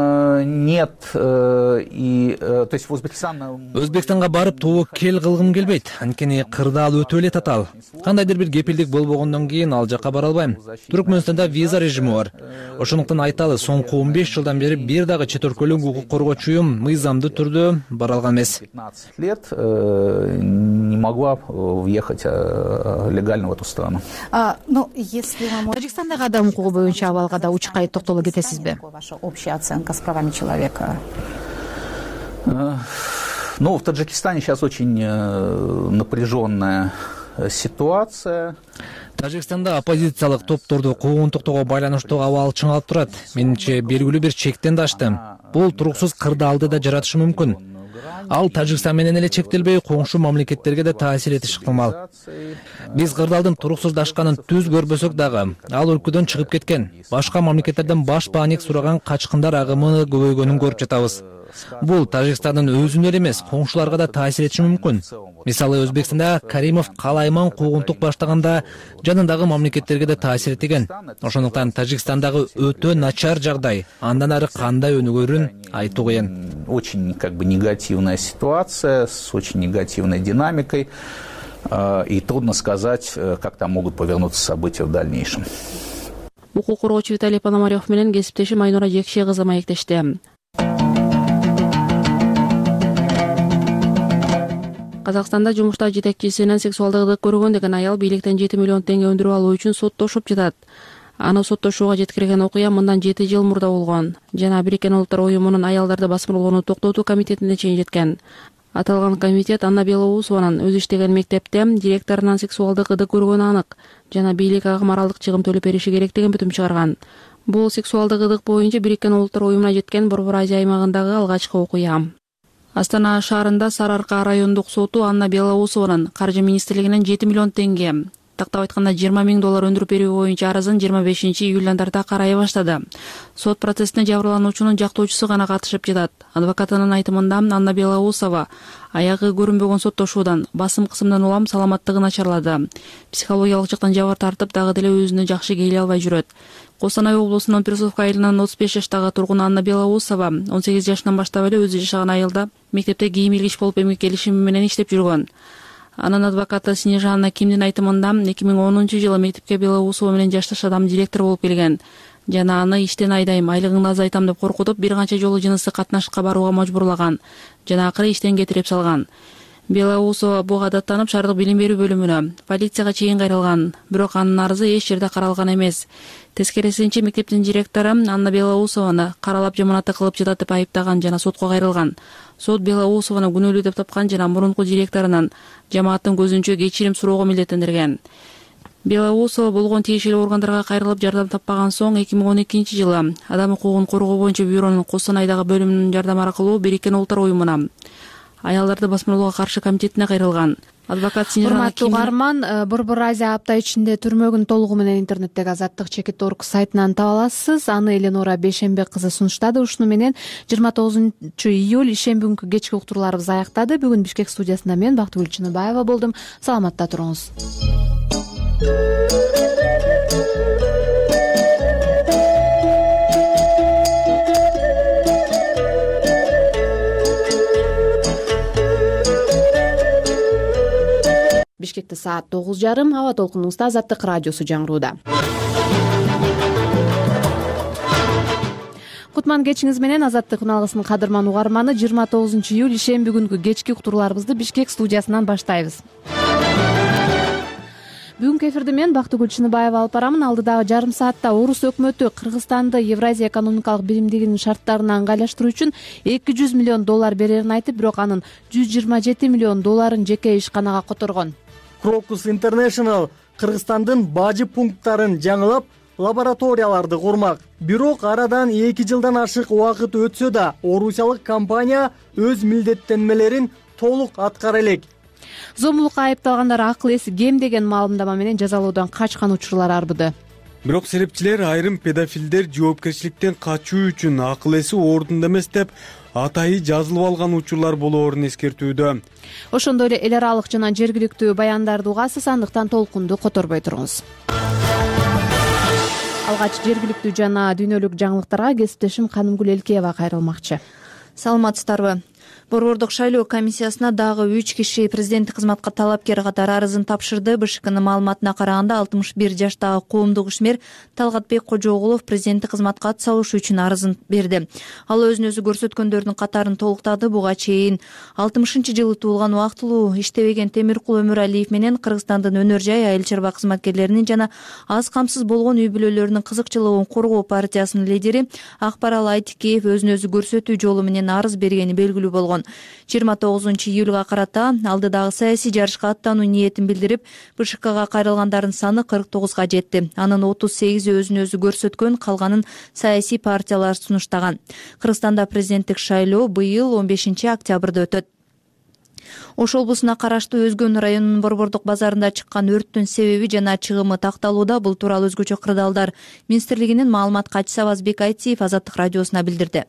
нет, и то есть в Узбекистан... Өзбекстанга барып тобу кел кылгым келбейт. Анткени кырдаал өтө эле татаал. Кандайдыр бир кепилдик болбогондон кийин ал жакка бара албайм. Түркмөнстанда виза режими бар. Ошондуктан айталы, соңку 15 жылдан бери бир дагы чет өлкөлүк укук коргоочу уюм мыйзамдуу түрдө бара алган эмес. 15 лет не могла въехать легально в эту страну. Тажикстандагы адам укугу боюнча абалга да учкай токтоло кетесизби? Ваша общая оценка с правами человека? Ну, в Таджикистане сейчас очень напряженная ситуация. Тажикстанда оппозициялык топторду куугунтуктоого байланыштуу абал чыңалып турат. Менимче белгилүү бир чектен да ашты. Бул туруксуз кырдаалды да жаратышы мүмкүн. Ал Тажикстан менен эле чектелбей, коңшу мамлекеттерге да таасир этиши ыктымал. Биз кырдаалдын туруксуздашканын түз көрбөсөк дагы, ал өлкөдөн чыгып кеткен. Башка мамлекеттерден баш бааник сураган качкындар агымы көбөйгөнүн көрүп жатабыз. Бул Тажикстандын өзүнө эле эмес, коңшуларга да таасир этиши мүмкүн. Мисалы, Өзбекстанда Каримов калайман куугунтук баштаганда жанындагы мамлекеттерге да таасир эткен. Ошондуктан Тажикстандагы өтө начар жагдай, андан ары кандай өнүгөрүн айтуу кыйын. Очень негативная ситуация с очень негативной динамикой, и трудно сказать, как там могут повернуться события в дальнейшем. Укук коргоочу Виталий Пономарев менен кесиптешим Айнура Жекше кызы маектешти. Казакстанда жумушта жетекчисинен сексуалдык көргөн деген аял бийликтен 7 миллион теңге өндүрүп алуу үчүн соттошуп жатат. Аны соттошууга жеткирген окуя мындан 7 жыл мурда болгон жана Бириккен Улуттар уюмунун аялдарды басмырлоону токтотуу комитетине чейин жеткен. Аталган комитет Анна Белоусованын өзү иштеген мектепте директорунан сексуалдык ыдык көргөнү анык жана бийлик ага моралдык чыгым төлөп бериши керек деген бүтүм чыгарган. Бул сексуалдык ыдык боюнча Бириккен Улуттар уюмуна жеткен Борбор Азия аймагындагы алгачкы окуя. Астана шаарында Сары Арка райондук соту Анна Белоусованын каржы министрлигинен 7 миллион теңге, тактап айтканда 20 000 доллар өндүрүп берүү боюнча арызын 25-июлдан тарта карай баштады. Сот процессине жабырлануучунун жактоочусу гана катышып жатат. Адвокатынын айтымында Анна Белоусова аягы көрүнбөгөн соттошуудан, басым кысымдан улам саламаттыгы начарлады. Психологиялык жактан жабыр тартып, дагы деле өзүнө жакшы келе албай жүрөт. Коостанай облусунун Персовка айылынын 35 жаштагы тургун Анна Белоусова 18 жашынан баштап эле өзү жашаган айылда мектепте кийим илгич болуп эмгекелишими менен иштеп жүргөн. Анын адвокаты Снежана Кимдин айтымында 2010-жылы мектепке Белоусова менен жашташ адам директор болуп келген жана аны иштен айдайм, айлыгыңды азайтам деп коркутуп, бир канча жолу жыныстык катнашыкка барууга мажбурлаган жана акыры иштен кетирип салган. Белоусова буга даттанып шаардык билим берүү бөлүмүнө, полицияга чейин кайрылган, бирок анын арызы эч жерде каралган эмес. Тескерисинче мектептин директору Анна Белоусованы каралап жаманатты кылып жатат деп айыптаган жана сотко кайрылган. Сот Белоусованы күнөөлүү деп тапкан жана мурунку директорунан жамааттын көзүнчө кечирим суроого милдеттендирген. Белоусова болгон тиешелүү органдарга кайрылып жардам таппаган соң 2012 жылы Адам укугун коргоо боюнча бюронун Костанайдагы бөлүмүнүн жардам аркылуу Бириккен Улуттар уюмуна, аялдарды басмырлоого каршы комитетине кайрылган. Адвокат Урматтуу угарман, Борбор Азия апта ичинде түрмөгүн толугу менен интернеттеги Азаттык.org сайтынан таба аласыз. Аны Эленора Бейшембек кызы сунуштады. Ушуну менен 29 июль ишемби күнкү кечки уктурууларыбыз аяктады. Бүгүн Бишкек студиясында мен Бактыгүл Чыныбаева болдум. Саламатта туруңуз. Бишкекте саат 9:30. Аба толкунубузда Азаттык радиосу жаңырууда. Кутман кечиңиз менен Азаттык үналгысынын кадырман угарманы 29 июль ишемби күнкү кечки уктурууларыбызды Бишкек студиясынан баштайбыз. Бүгүнкү эфирди мен Бактыгүл Чыныбаева алып барамын. Алдыдагы жарым саатта Орус өкмөтү Кыргызстанды Евразия экономикалык биримдигинин шарттарына ыңгайлаштыруу үчүн $200 миллион берерин айтып, бирок анын $127 миллион жеке ишканага которгон. Crocus International Кыргызстандын бажы пункттарын жаңылап, лабораторияларды курмак. Бирок арадан 2 жылдан ашык убакыт өтсө да, орусиялык компания өз милдеттенмелерин толук аткара элек. Зомбулукка айыпталгандар акыл эси кем деген маалымдама менен жазалоодан качкан учурлар арбыды. Бирок серепчилер айрым педофилдер жоопкерчиликтен качуу үчүн акыл эси ордунда эмес деп атайы жазылып алган учурлар болоорун эскертүүдө. Ошондой эле эл аралык жана жергиликтүү баяндарды угасыз, андыктан толкунду которбой туруңуз. Алгач жергиликтүү жана дүйнөлүк жаңылыктарга кесиптешим Канымгүл Элкеева кайрылмакчы. Саламатсыздарбы? Борбордук шайлоо комиссиясына дагы 3 киши президенттик кызматка талапкер катары арызын тапшырды. БШКнын маалыматына караганда 61 жаштагы коомдук ишмер Талгатбек Кожогулов президенттик кызматка ат салышы үчүн арызын берди. Ал өзүн өзү көрсөткөндөрдүн катарын толуктады. Буга чейин 60-жылы туулган убактылуу иштебеген Темиркул Өмүралиев менен Кыргызстандын өнөр жай айыл чарба кызматкерлеринин жана аз камсыз болгон үй бүлөлөрүнүн кызыкчылыгын коргоо партиясынын лидери Акбарал Айтикеев өзүн өзү көрсөтүү жолу менен арыз бергени белгилүү болгон. 29 июлга карата алдыдагы саясий жарышка аттануу ниетин билдирип, БШКга кайрылгандардын саны 49га жетти. Анын 38 өзүн өзү көрсөткөн, калганын саясий партиялар сунуштаган. Кыргызстанда президенттик шайлоо быйыл 15 октябрда өтөт. Ош облусуна караштуу Өзгөн районунун Борбордук базарында чыккан өрттүн себеби жана чыгымы такталууда. Бул тууралуу өзгөчө кырдаалдар министрлигинин маалымат катчысы Абазбек Айтиев Азаттык радиосуна билдирди.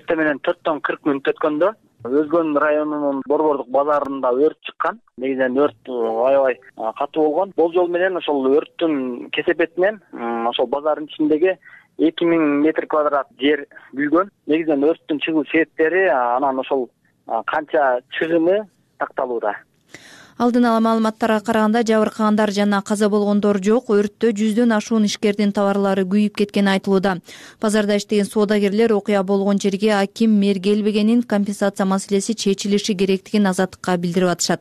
Менен 4-40 мүнөт өткөндө Өзгөн районунун Борбордук базарында өрт чыккан. Негизинен өрт аябай катуу болгон. Болжол менен ошол өрттүн кесепетинен ошол базардын ичиндеги 2000 метр квадрат жер күйгөн. Негизинен өрттүн чыгуу себептери анан ошол канча чыгымы такталууда. Алдын ала маалыматтарга караганда жабыркагандар жана каза болгондор жок. Өрттө 100дөн ашуун ишкердин товарлары күйүп кеткени айтылууда. Базарда иштеген соодагерлер окуя болгон жерге аким мэр келбегенин, компенсация маселеси чечилиши керектигин Азаттыкка билдирип атышат.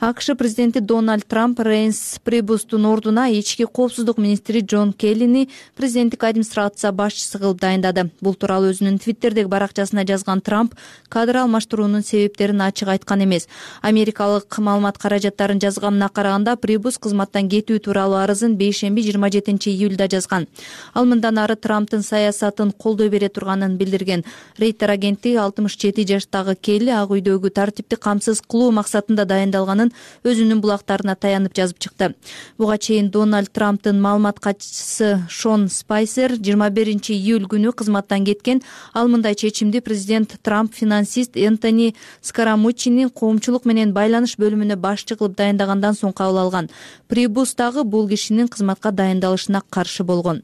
АКШ президенти Дональд Трамп Рейнс Прибустун ордуна ички коопсуздук министри Джон Келлини президенттик администрация башчысы кылып дайындады. Бул тууралуу өзүнүн Твиттердеги баракчасына жазган Трамп кадр алмаштыруунун себептерин ачык айткан эмес. Америкалык маалымат каражаттарын жазганына караганда Прибус кызматтан кетүү тууралуу арызын бейшемби 27 июлда жазган. Ал мындан ары Трамптын саясатын колдой бере турганын билдирген. Рейтер агенти 67 жаштагы Келли Ак үйдөгү тартипти камсыз кылуу максатында дайындалганын өзүнүн булактарына таянып жазып чыкты. Буга чейин Дональд Трамптын маалымат катчысы Шон Спайсер 21 июль күнү кызматтан кеткен. Ал мындай чечимди президент Трамп финансист Энтони Скарамуччинин коомчулук менен байланыш бөлүмүнө башчы кылып дайындагандан соң кабыл алган. Прибус дагы бул кишинин кызматка дайындалышына каршы болгон.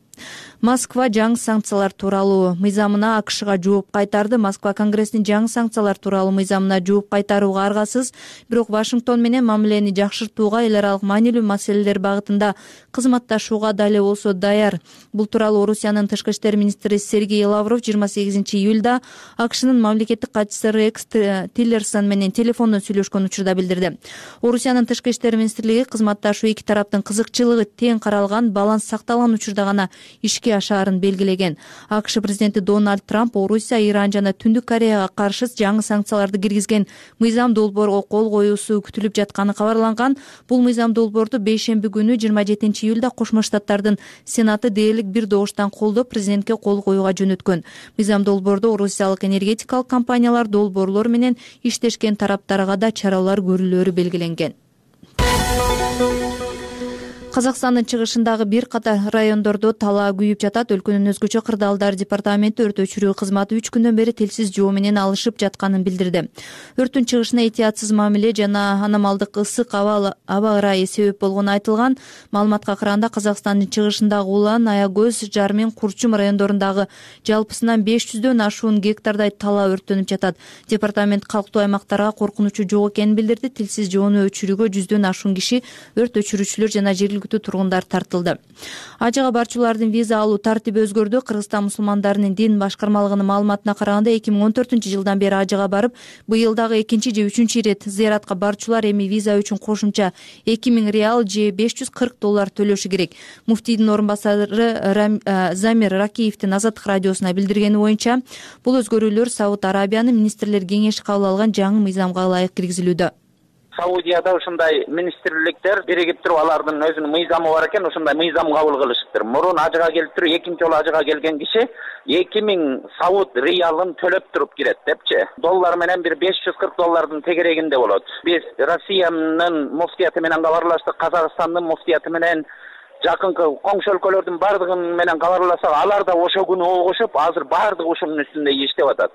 Москва жаңы санкциялар тууралуу мыйзамына АКШга жооп кайтарды. Москва Конгресстин жаңы санкциялар тууралуу мыйзамына жооп кайтарууга аргасыз, бирок Вашингтон менен мамилени жакшыртууга, эл аралык маанилүү маселелер багытында кызматташууга дали болсо даяр. Бул тууралуу Орусиянын тышкы иштер министри Сергей Лавров 28-июлда АКШнын мамлекеттик катчысы Рекс Тиллерсон менен телефондон сүйлөшкөн учурда билдирди. Орусиянын тышкы иштер министрлиги кызматташуу эки тараптын кызыкчылыгы тең каралган, баланс сакталган учурда гана ишке ашаарын белгилеген. АКШ президенти Дональд Трамп Орусия, Иран жана Түндүк Кореяга каршы жаңы санкцияларды киргизген мыйзам долбоорго кол коюусу күтүлүп жатканы кабарланган. Бул мыйзам долбоорду бейшемби күнү 27-июлда Кошмо Штаттардын Сенаты дээрлик бир добуштан колдоп президентке кол коюуга жөнөткөн. Мыйзам долбоордо орусиялык энергетикалык компаниялар, долбоорлор менен иштешкен тараптарга да чаралар көрүлөөрү белгиленген. Казакстандын чыгышындагы бир катар райондордо талаа күйүп жатат. Өлкөнүн өзгөчө кырдаалдар департаменти өрт өчүрүү кызматы 3 күндөн бери телсиз жоо менен алышып жатканын билдирди. Өрттүн чыгышына этиятсыз мамиле жана аномалдык ысык аба ырайы себеп болгону айтылган. Маалыматка караганда Казакстандын чыгышындагы Улан, Аягөз, Жармен, Курчум райондорундагы жалпысынан 500дөн ашуун гектардай талаа өрттөнүп жатат. Департамент калктуу аймактарга коркунучу жок экенин билдирди. Телсиз жоону өчүрүүгө 100дөн ашуун киши, өрт өчүрүүчүлөр жана жергиликтүү тургундар тартылды. Ажыга барчулардын виза алуу тартиби өзгөрдү. Кыргызстан мусулмандарынын дин башкармалыгынын маалыматына караганда 2014-жылдан бери ажыга барып, быйыл дагы 2 же 3 ирет зыяратка барчулар эми виза үчүн кошумча 2000 реал же $540 төлөшү керек. Муфтийдин орун басары Замир Ракиевдин Азаттык радиосуна билдиргени боюнча, бул өзгөрүүлөр Сауд Арабиянын министрлер кеңеши кабыл алган жаңы мыйзамга ылайык киргизилүүдө. Саудияда ушундай министрликтер биригип туруп алардын өзүнүн мыйзамы бар экен, ушундай мыйзам кабыл кылышыптыр. Мурун ажыга келип туруп, экинчи жолу ажыга келген киши 2000 Сауд риалын төлөп туруп кирет депчи. Доллар менен бир $540 тегерегинде болот. Биз Россиянын муфтияты менен кабарлаштык, Казакстандын муфтияты менен жакынкы коңшу өлкөлөрдүн бардыгын менен кабарласак, алар да ошо күнү огушуп, азыр бардыгы ушунун үстүндө иштеп атат.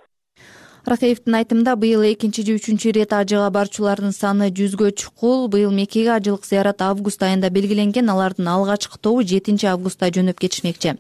Ракаевдин айтымында, быйыл 2 же 3 ирет ажыга барчулардын саны 100гө чукул. Быйыл Меккеге ажылык зыярат август айында белгиленген. Алардын алгачкы тобу 7 августта жөнөп кетишмекчи.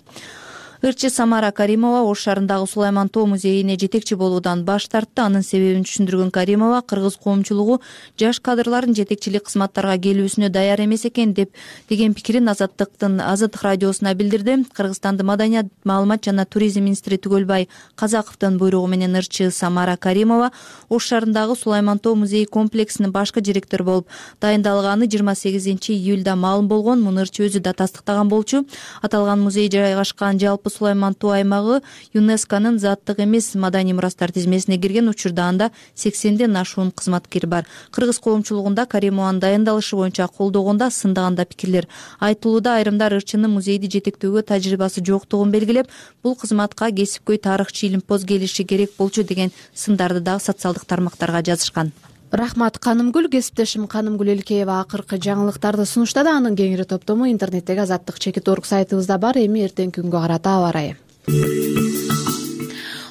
Ырчы Самара Каримова Ош шаарындагы Сулайман Тоо музейине жетекчи болуудан баш тартты. Анын себебин түшүндүргөн Каримова, кыргыз коомчулугу жаш кадрлардын жетекчилик кызматтарга келүүсүнө даяр эмес экен деген пикирин Азаттык радиосуна билдирди. Кыргызстандын маданият, маалымат жана туризм министри Түгөлбай Казаковдун буйругу менен ырчы Самара Каримова Ош шаарындагы Сулайман Тоо музей комплексинин башкы директору болуп дайындалганы 28-июлда маалым болгон. Муну ырчы өзү да тастыктаган болчу. Аталган музей жайгашкан жалпы Сулайман Тоо аймагы ЮНЕСКОнун заттык эмес маданий мурастар тизмесине кирген. Учурда анда 80ден ашуун кызматкер бар. Кыргыз коомчулугунда Каримованын дайындалышы боюнча колдогондо, сындаганда пикирлер айтылууда. Айрымдар ырчынын музейди жетектөөгө тажрыйбасы жоктугун белгилеп, бул кызматка кесипкөй тарыхчы илимпоз келиши керек болчу деген сындарды дагы социалдык тармактарга жазышкан. Рахмат Канымгүл. Кесиптешим Канымгүл Элкеева акыркы жаңылыктарды сунуштады. Анын кеңири топтому интернеттеги Азаттык.org сайтыбызда бар. Эми эртеңки күнгө карата аба ырайы.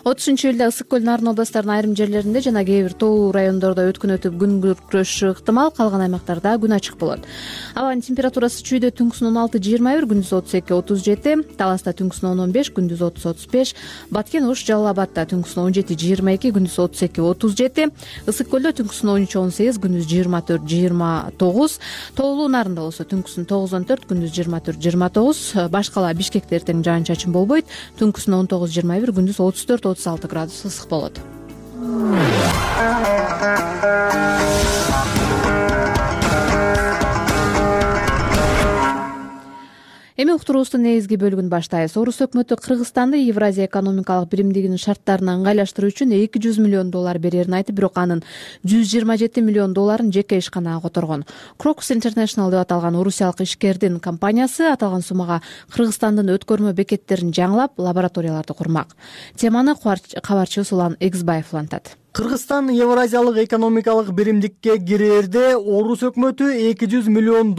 30-июлда Ысык көл Нарын областарынын айрым жерлеринде жана кээ бир тоолуу райондордо өткүн өтүп күн күркүрөшү ыктымал. Калган аймактарда күн ачык болот. Абанын температурасы чүйдө түнкүсүн 16-21, күндүз 32-37, Таласта түнкүсүн 10-15, күндүз 30-35, Баткен, Ош, Жалал Абадта түнкүсүн 17-22, күндүз 32-37, Ысык көлдө түнкүсүн 13-18, күндүз 24-29, тоолуу Нарында болсо түнкүсүн 9-14, күндүз 24-29, башкала Бишкекте эртең жаан-чачын болбойт, түнкүсүн 19-21, күндүз 34-36 градус ысык болот. Эми уктуруубуздун негизги бөлүгүн баштайбыз. Орус өкмөтү Кыргызстанды Евразия экономикалык биримдигинин шарттарына ыңгайлаштыруу үчүн $200 миллион берерин айтып, бирок анын $127 миллион жеке ишканага которгон. Crocus International деп аталган орусиялык ишкердин компаниясы аталган суммага Кыргызстандын өткөрмө бекеттерин жаңылап, лабораторияларды курмак. Теманы кабарчы Улан Эксбаев улантат. Кыргызстан Евразиялык экономикалык биримдикке кирээрде Орус өкмөтү $200 миллион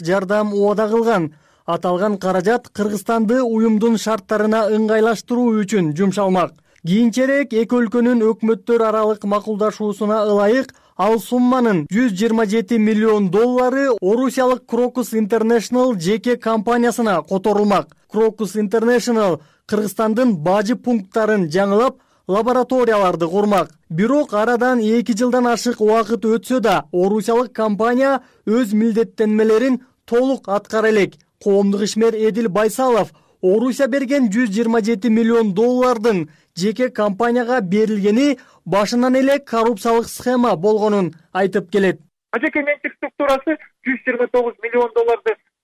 жардам убада кылган. Аталган каражат Кыргызстанды уюмдун шарттарына ыңгайлаштыруу үчүн жумшалмак. Кийинчерээк эки өлкөнүн өкмөттөр аралык макулдашуусуна ылайык ал сумманын $127 миллион орусиялык Crocus International жеке компаниясына которулмак. Crocus International Кыргызстандын бажы пункттарын жаңылап, лабораторияларды курмак. Бирок арадан 2 жылдан ашык убакыт өтсө да, орусиялык компания өз милдеттенмелерин толук аткара элек. Коомдук ишмер Эдил Байсалов Орусия берген $127 миллион жеке компанияга берилгени башынан эле коррупциялык схема болгонун айтып келет. Жеке менчик структурасы $129 миллион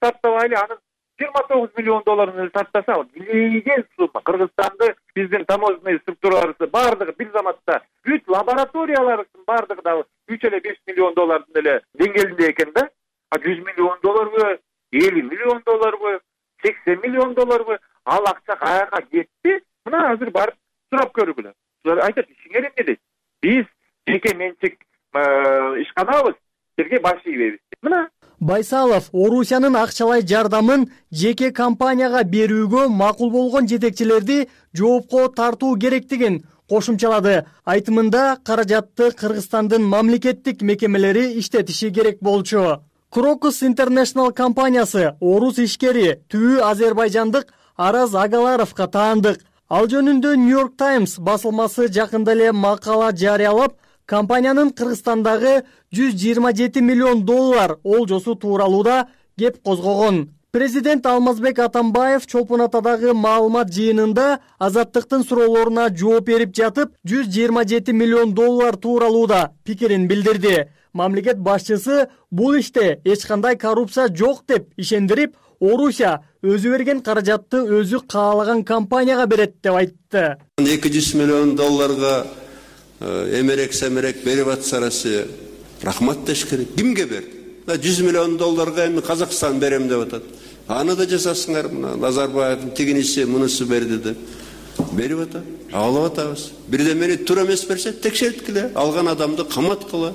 сартабай эле анын $29 миллион сартаса, билеген сумма. Кыргызстанды биздин таможенный структураларыбыз бардыгы бир заматта бүт лабораториялардын бардыгы да 3,5 миллион эле деңгээлинде экен да. $100 миллион 50 миллион 80 миллион ал акча каяка кетти? Мына азыр барып сурап көргүлө. Айтат, ишиңер эмне дейт? Биз жеке менчик ишканабыз, силерге баш ийбейбиз. Мына Байсалов Орусиянын акчалай жардамын жеке компанияга берүүгө макул болгон жетекчилерди жоопко тартуу керектигин кошумчалады. Айтымында каражатты Кыргызстандын мамлекеттик мекемелери иштетиши керек болчу. Crocus International компаниясы орус ишкери түбү азербайжандык Араз Агаларовго таандык. Ал жөнүндө New York Times басылмасы жакында эле макала жарыялап, компаниянын Кыргызстандагы $127 миллион олжосу тууралуу да кеп козгогон. Президент Алмазбек Атамбаев Чолпон Атадагы маалымат жыйынында Азаттыктын суроолоруна жооп берип жатып, $127 миллион тууралуу да пикирин билдирди. Мамлекет башчысы бул иште эч кандай коррупция жок деп ишендирип, Орусия өзү берген каражатты өзү каалаган компанияга берет деп айтты. $200 миллион эмерек-семерек берип атса Россия, рахмат деш керек. Кимге берди? $100 миллион эми Казакстан берем деп атат. Аны да жасасыңар, мына Назарбаевдин тигинisi мунусу берди деп. Берип атат. Алып атабыз. Бирдемени туура эмес берсе, текшерткиле, алган адамды каматкыла.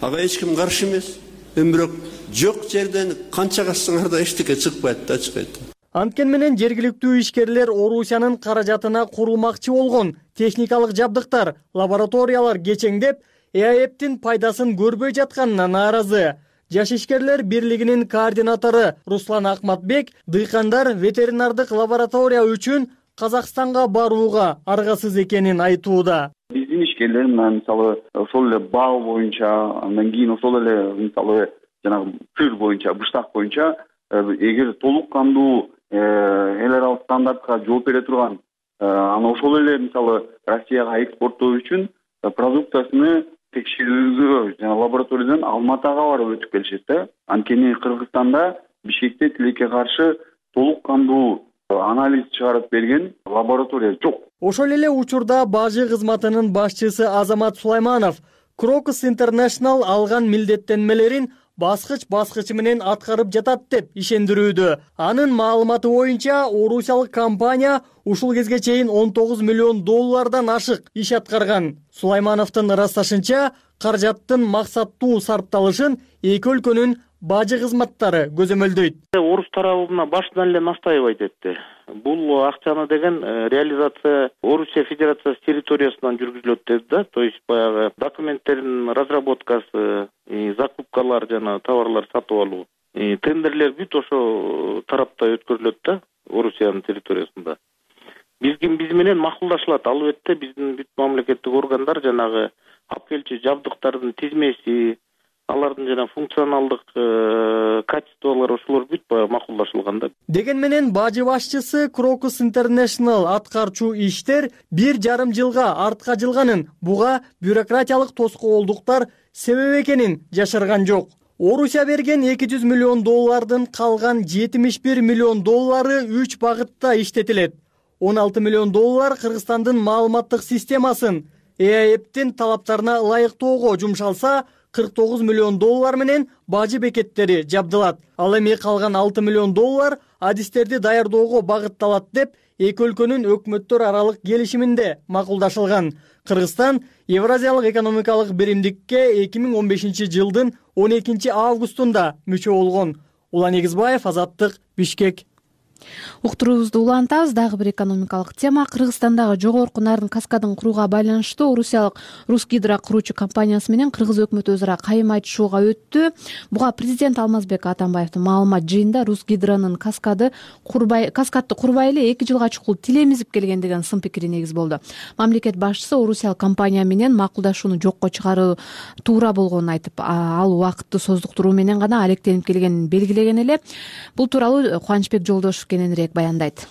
Ага эч ким каршы эмес. Бирок жок жерден канча кассаңар да эчтеке чыкпайт да, чыкпайт. Анткен менен жергиликтүү ишкерлер Орусиянын каражатына курулмакчы болгон техникалык жабдыктар, лабораториялар кечеңдеп, ЭАЭПтин пайдасын көрбөй жатканына нааразы. Жаш ишкерлер бирлигинин координатору Руслан Акматбек дыйкандар ветеринардык лаборатория үчүн Казакстанга барууга аргасыз экенин айтууда. Биздин ишкерлер мисалы ошол эле бал боюнча, андан кийин ошол эле мисалы жанагы сыр боюнча, быштак боюнча эгер толук кандуу эл аралык стандартка жооп бере турган, аны ошол эле мисалы Россияга экспорттоо үчүн продукциясыны текшерүүгө жана лабораториядан Алматыга барып өтүп келишет да. Анткени Кыргызстанда Бишкекте тилекке каршы толук кандуу анализ чыгарып берген лаборатория жок. Ошол эле учурда бажы кызматынын башчысы Азамат Сулайманов Crocus International алган милдеттенмелерин баскыч менен аткарып жатат деп ишендирүүдө. Анын маалыматы боюнча орусиялык компания ушул кезге чейин $19 миллион ашык иш аткарган. Сулаймановдун ырасташынча, каражаттын максаттуу сарпталышын эки өлкөнүн бажы кызматтары көзөмөлдөйт. Орус тарабына башынан эле настаивать этти. Бул акчаны деген реализация Орусия Федерациясы территориясынан жүргүзүлөт деди да. То есть баягы документтердин разработкасы, закупкалар жана товарлар сатып алуу, тендерлер бүт ошо тарапта өткөрүлөт да, Орусиянын территориясында. Биз менен макулдашылат. Албетте биздин бүт мамлекеттик органдар жанагы алып келчү жабдыктардын тизмеси, алардын жана функционалдык качестволору ошолор бүт макулдашылган да. Деген менен бажы башчысы Crocus International аткарчу иштер 1,5 жылга артка жылганын, буга бюрократиялык тоскоолдуктар себеп экенин жашырган жок. Орусия берген $200 миллион калган $71 миллион 3 багытта иштетилет. $16 миллион Кыргызстандын маалыматтык системасын ЭАЭПтин талаптарына ылайыктоого жумшалса, $49 миллион менен бажы бекеттери жабдылат. Ал эми калган $6 миллион адистерди даярдоого багытталат деп эки өлкөнүн өкмөттөр аралык келишиминде макулдашылган. Кыргызстан Евразиялык экономикалык биримдикке 2015 жылдын 12 августунда мүчө болгон. Улан Эгизбаев, Азаттык, Бишкек. Уктуруубузду улантабыз. Дагы бир экономикалык тема. Кыргызстандагы жогорку нарын каскадын курууга байланыштуу орусиялык Русгидро куруучу компаниясы менен кыргыз өкмөтү өзара кайым айтышууга өттү. Буга президент Алмазбек Атамбаевдин маалымат жыйында Русгидронун каскадты курбай эле 2 жылга чукул тилемизип келген деген сын пикири негиз болду. Мамлекет башчысы орусиялык компания менен макулдашууну жокко чыгаруу туура болгонун айтып, ал убакытты создуктуруу менен гана алектенип келгенин белгилеген эле. Бул тууралуу Кубанычбек Жолдошев кененирээк баяндайт.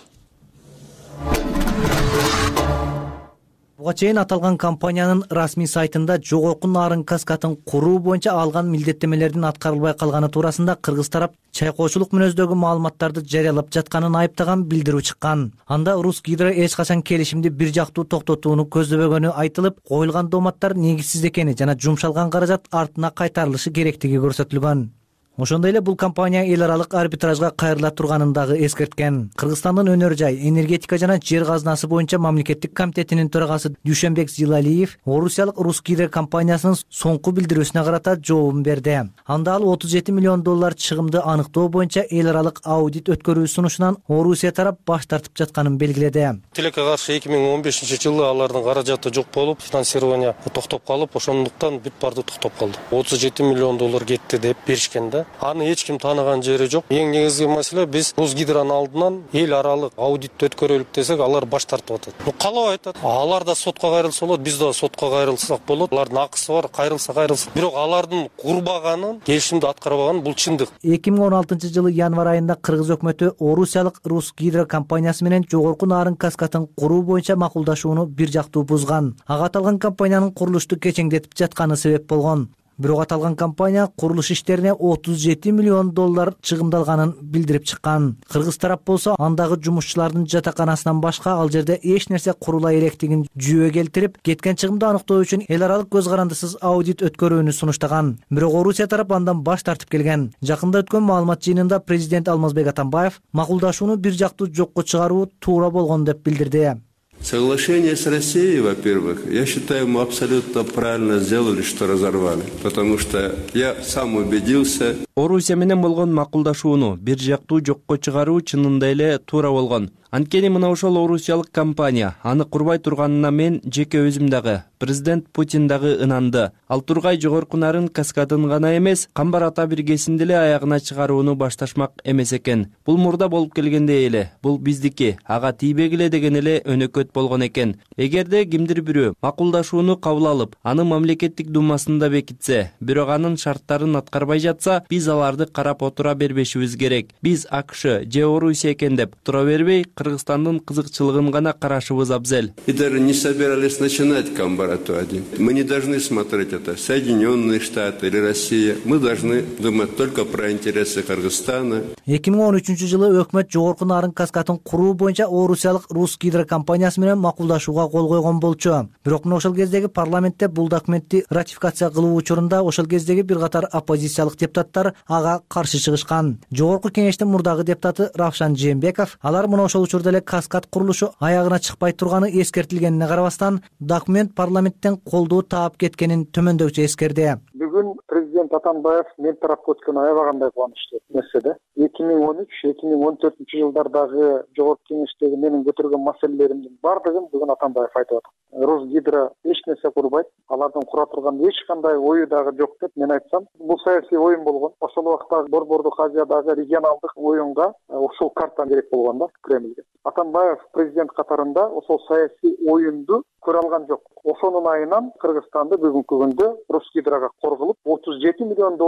Буга чейин аталган компаниянын расмий сайтында жогорку нарын каскатын куруу боюнча алган милдеттемелердин аткарылбай калганы туурасында кыргыз тарап чайкоочулук мүнөздөгү маалыматтарды жарыялап жатканын айыптаган билдирүү чыккан. Анда Русгидро эч качан келишимди бир жактуу токтотууну көздөбөгөнү айтылып, коюлган дооматтар негизсиз экени жана жумшалган каражат артына кайтарылышы керектиги көрсөтүлгөн. Ошондой эле бул компания эл аралык арбитражга кайрыла турганын дагы эскерткен. Кыргызстандын өнөр жай, энергетика жана жер казынасы боюнча мамлекеттик комитетинин төрагасы Дүйшөнбек Зилалиев орусиялык Русгидро компаниясынын соңку билдирүүсүнө карата жообун берди. Анда ал $37 миллион чыгымды аныктоо боюнча эл аралык аудит өткөрүү сунушунан Орусия тарап баш тартып жатканын белгиледи. Тилекке каршы 2015-жылы алардын каражаты жок болуп, финансирование токтоп калып, ошондуктан бүт барды токтоп калды. $37 миллион кетти деп беришкен да. Аны эч ким тааныган жери жок. Эң негизги маселе биз Русгидронун алдынан эл аралык аудит өткөрөлүк десек, алар баш тартып атат. Калап айтат. Алар да сотко кайрылса болот, биз да сотко кайрылсак болот. Алардын акысы бар, кайрылса. Бирок алардын курбаганын, келишимди аткарбаганын бул чындык. 2016-жылы январь айында кыргыз өкмөтү орусиялык Русгидро компаниясы менен жогорку нарын каскатын куруу боюнча макулдашууну бир жактуу бузган. Ага аталган компаниянын курулушту кечеңдетип жатканы себеп болгон. Бирок аталган компания курулуш иштерине $37 миллион чыгымдалганын билдирип чыккан. Кыргыз тарап болсо андагы жумушчулардын жатаканасынан башка ал жерде эч нерсе курула электигин жүйө келтирип, кеткен чыгымды аныктоо үчүн эл аралык көз карандысыз аудит өткөрүүнү сунуштаган. Бирок Орусия тарап андан баш тартып келген. Жакында өткөн маалымат жыйынында президент Алмазбек Атамбаев макулдашууну бир жактуу жокко чыгаруу туура болгон деп билдирди. Соглашение с Россией, во-первых, я считаю, мы абсолютно правильно сделали, что разорвали. Потому что я сам убедился. Орусия менен болгон макулдашууну бир жактуу жокко чыгаруу чынында эле туура болгон. Анткени мына ошол орусиялык компания аны курбай турганына мен жеке өзүм дагы, президент Путин дагы ынанды. Ал тургай жогорку нарын каскадын гана эмес, камбар ата биргесинди эле аягына чыгарууну башташмак эмес экен. Бул мурда болуп келгендей эле, бул биздики, ага тийбегиле деген эле өнөкөт болгон экен. Эгерде кимдир бирөө макулдашууну кабыл алып, аны мамлекеттик думасында бекитсе, бирок анын шарттарын аткарбай жатса, биз аларды карап отура бербешибиз керек. Биз АКШ же Орусия экен деп тура бербей, Кыргызстандын кызыкчылыгын гана карашыбыз абзел. И даже не собирались начинать Камбарату-1. Мы не должны смотреть это Соединенные Штаты или Россия. Мы должны думать только про интересы Кыргызстана. 2013-жылы өкмөт жогорку нарын каскатын куруу боюнча орусиялык Русгидро компаниясы менен макулдашууга кол койгон болчу. Бирок ошол кездеги парламентте бул документти ратификация кылуу учурунда ошол кездеги бир катар оппозициялык депутаттар ага каршы чыгышкан. Жогорку кеңештин мурдагы депутаты Равшан Жээнбеков алар мына ошол учурда эле каскад курулушу аягына чыкпай турганы эскертилгенине карабастан, документ парламенттен колдоо таап кеткенин төмөндөгүчө эскерди. Бүгүн президент Атамбаев мен тарапка өткөн аябагандай кубанычтуу нерсе. 2013-2014 жылдардагы жогорку кеңештеги менин көтөргөн маселелеримдин бардыгын бүгүн Атамбаев айтып атат. Русгидро эч нерсе курбайт, алардын кура турган эч кандай ою дагы жок деп мен айтсам, бул саясий оюн болгон. Ошол убакта Борбордук Азиядагы регионалдык оюнга ушул карта керек болгон да Кремльге. Атамбаев президент катарында ошол саясий оюнду көрө алган жок. Ошонун айынан Кыргызстанды бүгүнкү күндө Русгидрога коргулуп, $37 миллион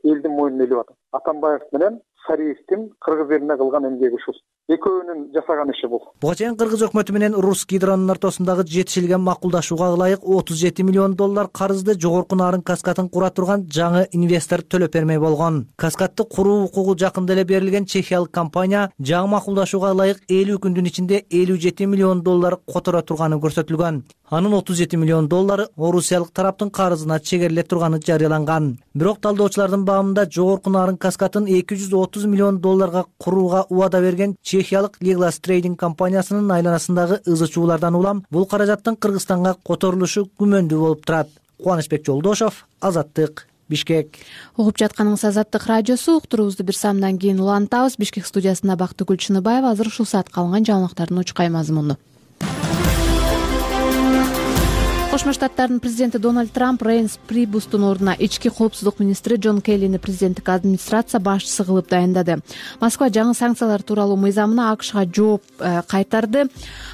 элдин мойнуна илип атат. Атамбаев менен Сариевдин кыргыз элине кылган эмгеги ушул. Экөөнүн жасаган иши бул. Буга чейин кыргыз өкмөтү менен Русгидронун ортосундагы жетишилген макулдашууга ылайык $37 миллион карызды жогорку нарын каскатын кура турган жаңы инвестор төлөп бермей болгон. Каскатты куруу укугу жакында эле берилген чехиялык компания жаңы макулдашууга ылайык 50 күндүн ичинде $57 миллион которо турганы көрсөтүлгөн. Анын $37 миллион орусиялык тараптын карызына чегериле турганы жарыяланган. Бирок талдоочулардын баамында жогорку нарын каскатын $230 миллион курууга убада берген чехиялык Liglas Trading компаниясынын айланасындагы ызы чуулардан улам бул каражаттын Кыргызстанга которулушу күмөндүү болуп турат. Кубанычбек Жолдошев, Азаттык, Бишкек. Угуп жатканыңыз Азаттык радиосу. Уктуруубузду бир саамдан кийин улантабыз. Бишкек студиясында Бактыгүл Чыныбаева. Азыр ушул саатка алынган жаңылыктардын учкай мазмуну. Кошмо Штаттардын президенти Дональд Трамп Рейнс Прибустун ордуна ички коопсуздук министри Джон Келлини президенттик администрация башчысы кылып дайындады. Москва жаңы санкциялар тууралуу мыйзамына АКШга жооп кайтарды.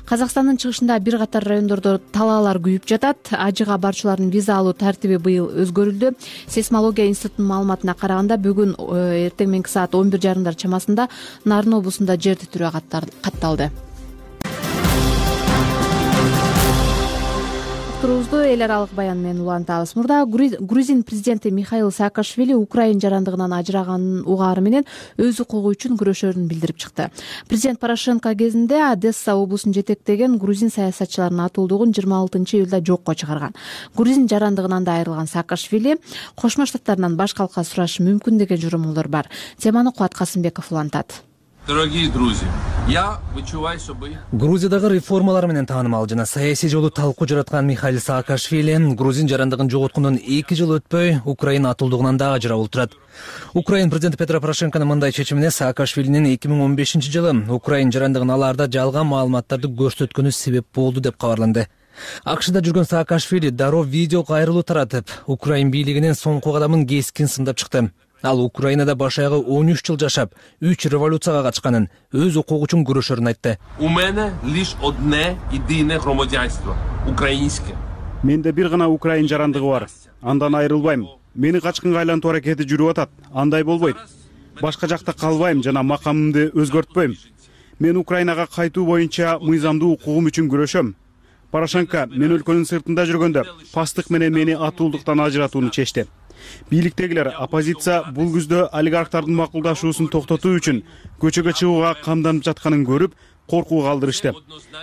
Казакстандын чыгышында бир катар райондордо талаалар күйүп жатат. Ажыга барчулардын виза алуу тартиби быйыл өзгөрүлдү. Сейсмология институтунун маалыматына караганда бүгүн эртең мененки саат 11:30 чамасында Нарын облусунда жер титирөө катталды. Турубузду эл аралык баян менен улантабыз. Мурда Грузин президенти Михаил Саакашвили Украин жарандыгынан ажыраганын угаары менен өз укугу үчүн күрөшөрүн билдирип чыкты. Президент Порошенко кезинде Одесса облусун жетектеген грузин саясатчыларынын атуулдугун 26-июлда жокко чыгарган. Грузин жарандыгынан да айрылган Саакашвили Кошмо Штаттарынан баш калкка сурашы мүмкүн деген журумулар бар. Теманы Кубат Касымбеков улантат. Дорогие друзья, я вычуваю, чтобы... Грузиядагы реформалар менен таанымал жана саясий жолу талкуу жараткан Михаил Саакашвили грузин жарандыгын жоготкондон 2 жыл өтпөй Украина атуулдугунан да ажырап отурат. Украин президенти Петро Порошенконун мындай чечимине Саакашвилинин 2015-жылы Украин жарандыгын алаарда жалган маалыматтарды көрсөткөнү себеп болду деп кабарланды. АКШда жүргөн Саакашвили дароо видео кайрылуу таратып, Украин бийлигинин соңку кадамын кескин сындап чыкты. Ал Украинада баш аягы 13 жыл жашап, 3 революцияга катышканын, өз укугу үчүн күрөшөрүн айтты. У мене лишь одне единое громадянство — украинское. Менде бир гана Украин жарандыгы бар. Андан айрылбайм. Мени качкынга айлантуу аракети жүрүп атат. Андай болбойт. Башка жакта калбайм жана макамымды өзгөртпөйм. Мен Украинага кайтуу боюнча мыйзамдуу укугум үчүн күрөшөм. Порошенко мен өлкөнүн сыртында жүргөндө пастык менен мени атуулдуктан ажыратууну чечти. Бийликтегилер оппозиция бул күздө олигархтардын макулдашуусун токтотуу үчүн көчөгө чыгууга камданып жатканын көрүп, коркууга алдырышты.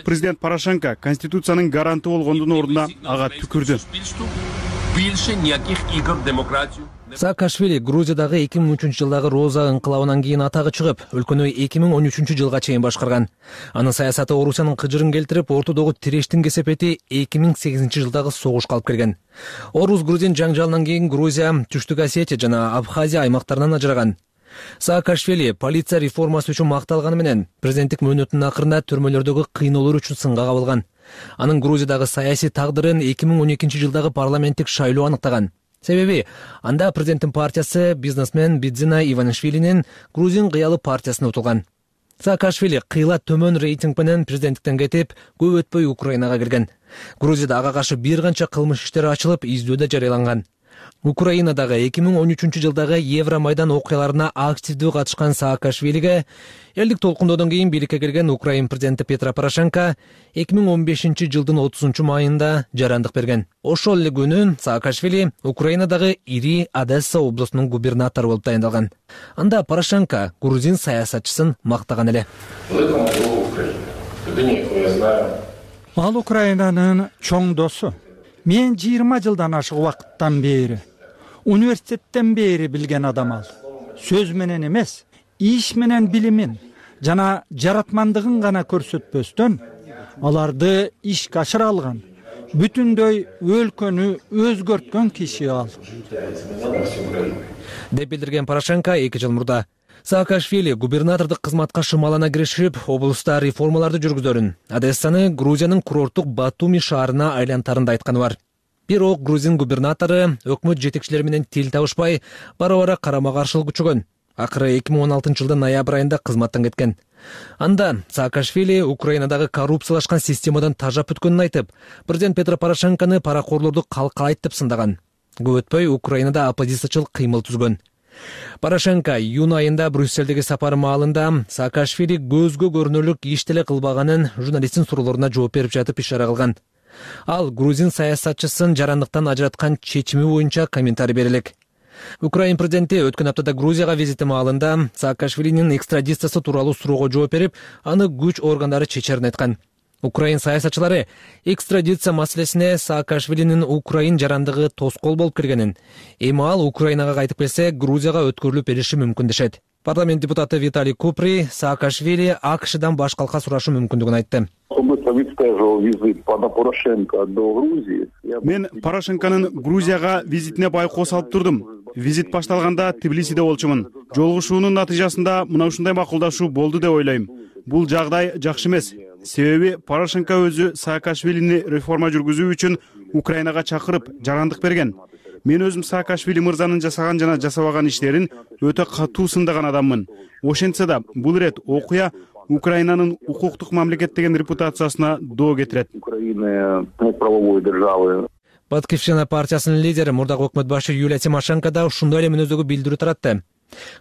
Президент Порошенко конституциянын гаранты болгондун ордуна ага түкүрдү. Больше никаких игр в демократию. Саакашвили Грузиядагы 2003-жылдагы Роза ыңкылабынан кийин атагы чыгып, өлкөнү 2013-жылга чейин башкарган. Анын саясаты Орусиянын кыжырын келтирип, ортодогу тирештин кесепети 2008-жылдагы согушка алып келген. Орус-грузин жаңжалынан кийин Грузия, Түштүк Осетия жана Абхазия аймактарынан ажыраган. Саакашвили полиция реформасы үчүн макталганы менен президенттик мөөнөтүнүн акырында түрмөлөрдөгү кыйноолор үчүн сынга кабылган. Анын Грузиядагы саясий тагдырын 2012-жылдагы парламенттик шайлоо аныктаган. Себеби анда президенттин партиясы бизнесмен Бидзина Иванишвилинин Грузин кыялы партиясына утулган. Саакашвили кыйла төмөн рейтинг менен президенттиктен кетип, көп өтпөй Украинага келген. Грузияда ага каршы бир канча кылмыш иштери ачылып, издөө да жарыяланган. Украинадагы 2013-жылдагы Евромайдан окуяларына активдүү катышкан Саакашвилиге элдик толкундоодон кийин бийликке келген Украин президенти Петро Порошенко 2015-жылдын 30-майында жарандык берген. Ошол эле күнү Саакашвили Украинадагы ири Одесса облусунун губернатору болуп дайындалган. Анда Порошенко грузин саясатчысын мактаган эле. Ал Украинанын чоң досу. Мен 20 жылдан ашык убакыттан бери, университеттен бери билген адам ал. Сөз менен эмес, иш менен билимин жана жаратмандыгын гана көрсөтпөстөн, аларды ишке ашыра алган, бүтүндөй өлкөнү өзгөрткөн киши ал. Деп билдирген Порошенко 2 жыл мурда. Саакашвили губернатордук кызматка шымалана киришип, облуста реформаларды жүргүзөрүн, Одессаны Грузиянын курорттук Батуми шаарына айлантарын да айтканы бар. Бирок грузин губернатору өкмөт жетекчилери менен тил табышпай, бара-бара карама-каршылык күчөгөн. Акыры 2016-жылдын ноябрь айында кызматтан кеткен. Анда Саакашвили Украинадагы коррупциялашкан системадан тажап өткөнүн айтып, президент Петро Порошенкону паракорлорду калкалайт деп сындаган. Көп өтпөй Украинада оппозициячыл кыймыл түзгөн. Порошенко июнь айында Брюссельдеги сапары маалында Саакашвили көзгө көрүнөрлүк иш деле кылбаганын журналисттин суроолоруна жооп берип жатып ишара кылган. Ал грузин саясатчысын жарандыктан ажыраткан чечими боюнча комментарий берелек. Украин президенти өткөн аптада Грузияга визити маалында Саакашвилинин экстрадициясы тууралуу суроого жооп берип, аны күч органдары чечерин айткан. Украин саясатчылары экстрадиция маселесине Саакашвилинин Украин жарандыгы тоскоол болуп киргенин, эми ал Украинага кайтып келсе, Грузияга өткөрүлүп бериши мүмкүн дешет. Парламент депутаты Виталий Купри Саакашвили АКШдан баш калка сурашы мүмкүндүгүн айтты. Мен Порошенконун Грузияга визитине байкоо салып турдум. визит башталганда Тбилисиде болчумун. Жолугушуунун натыйжасында мына ушундай макулдашуу болду деп ойлойм. Бул жагдай жакшы эмес. Себеби Порошенко өзү Саакашвилини реформа жүргүзүү үчүн Украинага чакырып, жарандык берген. Мен өзүм Саакашвили мырзанын жасаган жана жасабаган иштерин өтө катуу сындаган адаммын. Ошентсе да бул ирет окуя Украинанын укуктук мамлекет деген репутациясына доо кетирет. Украина правовой державы. Батькивщина партиясынын лидери мурдагы өкмөт башы Юлия Тимошенко да ушундай эле мүнөздөгү билдирүү таратты.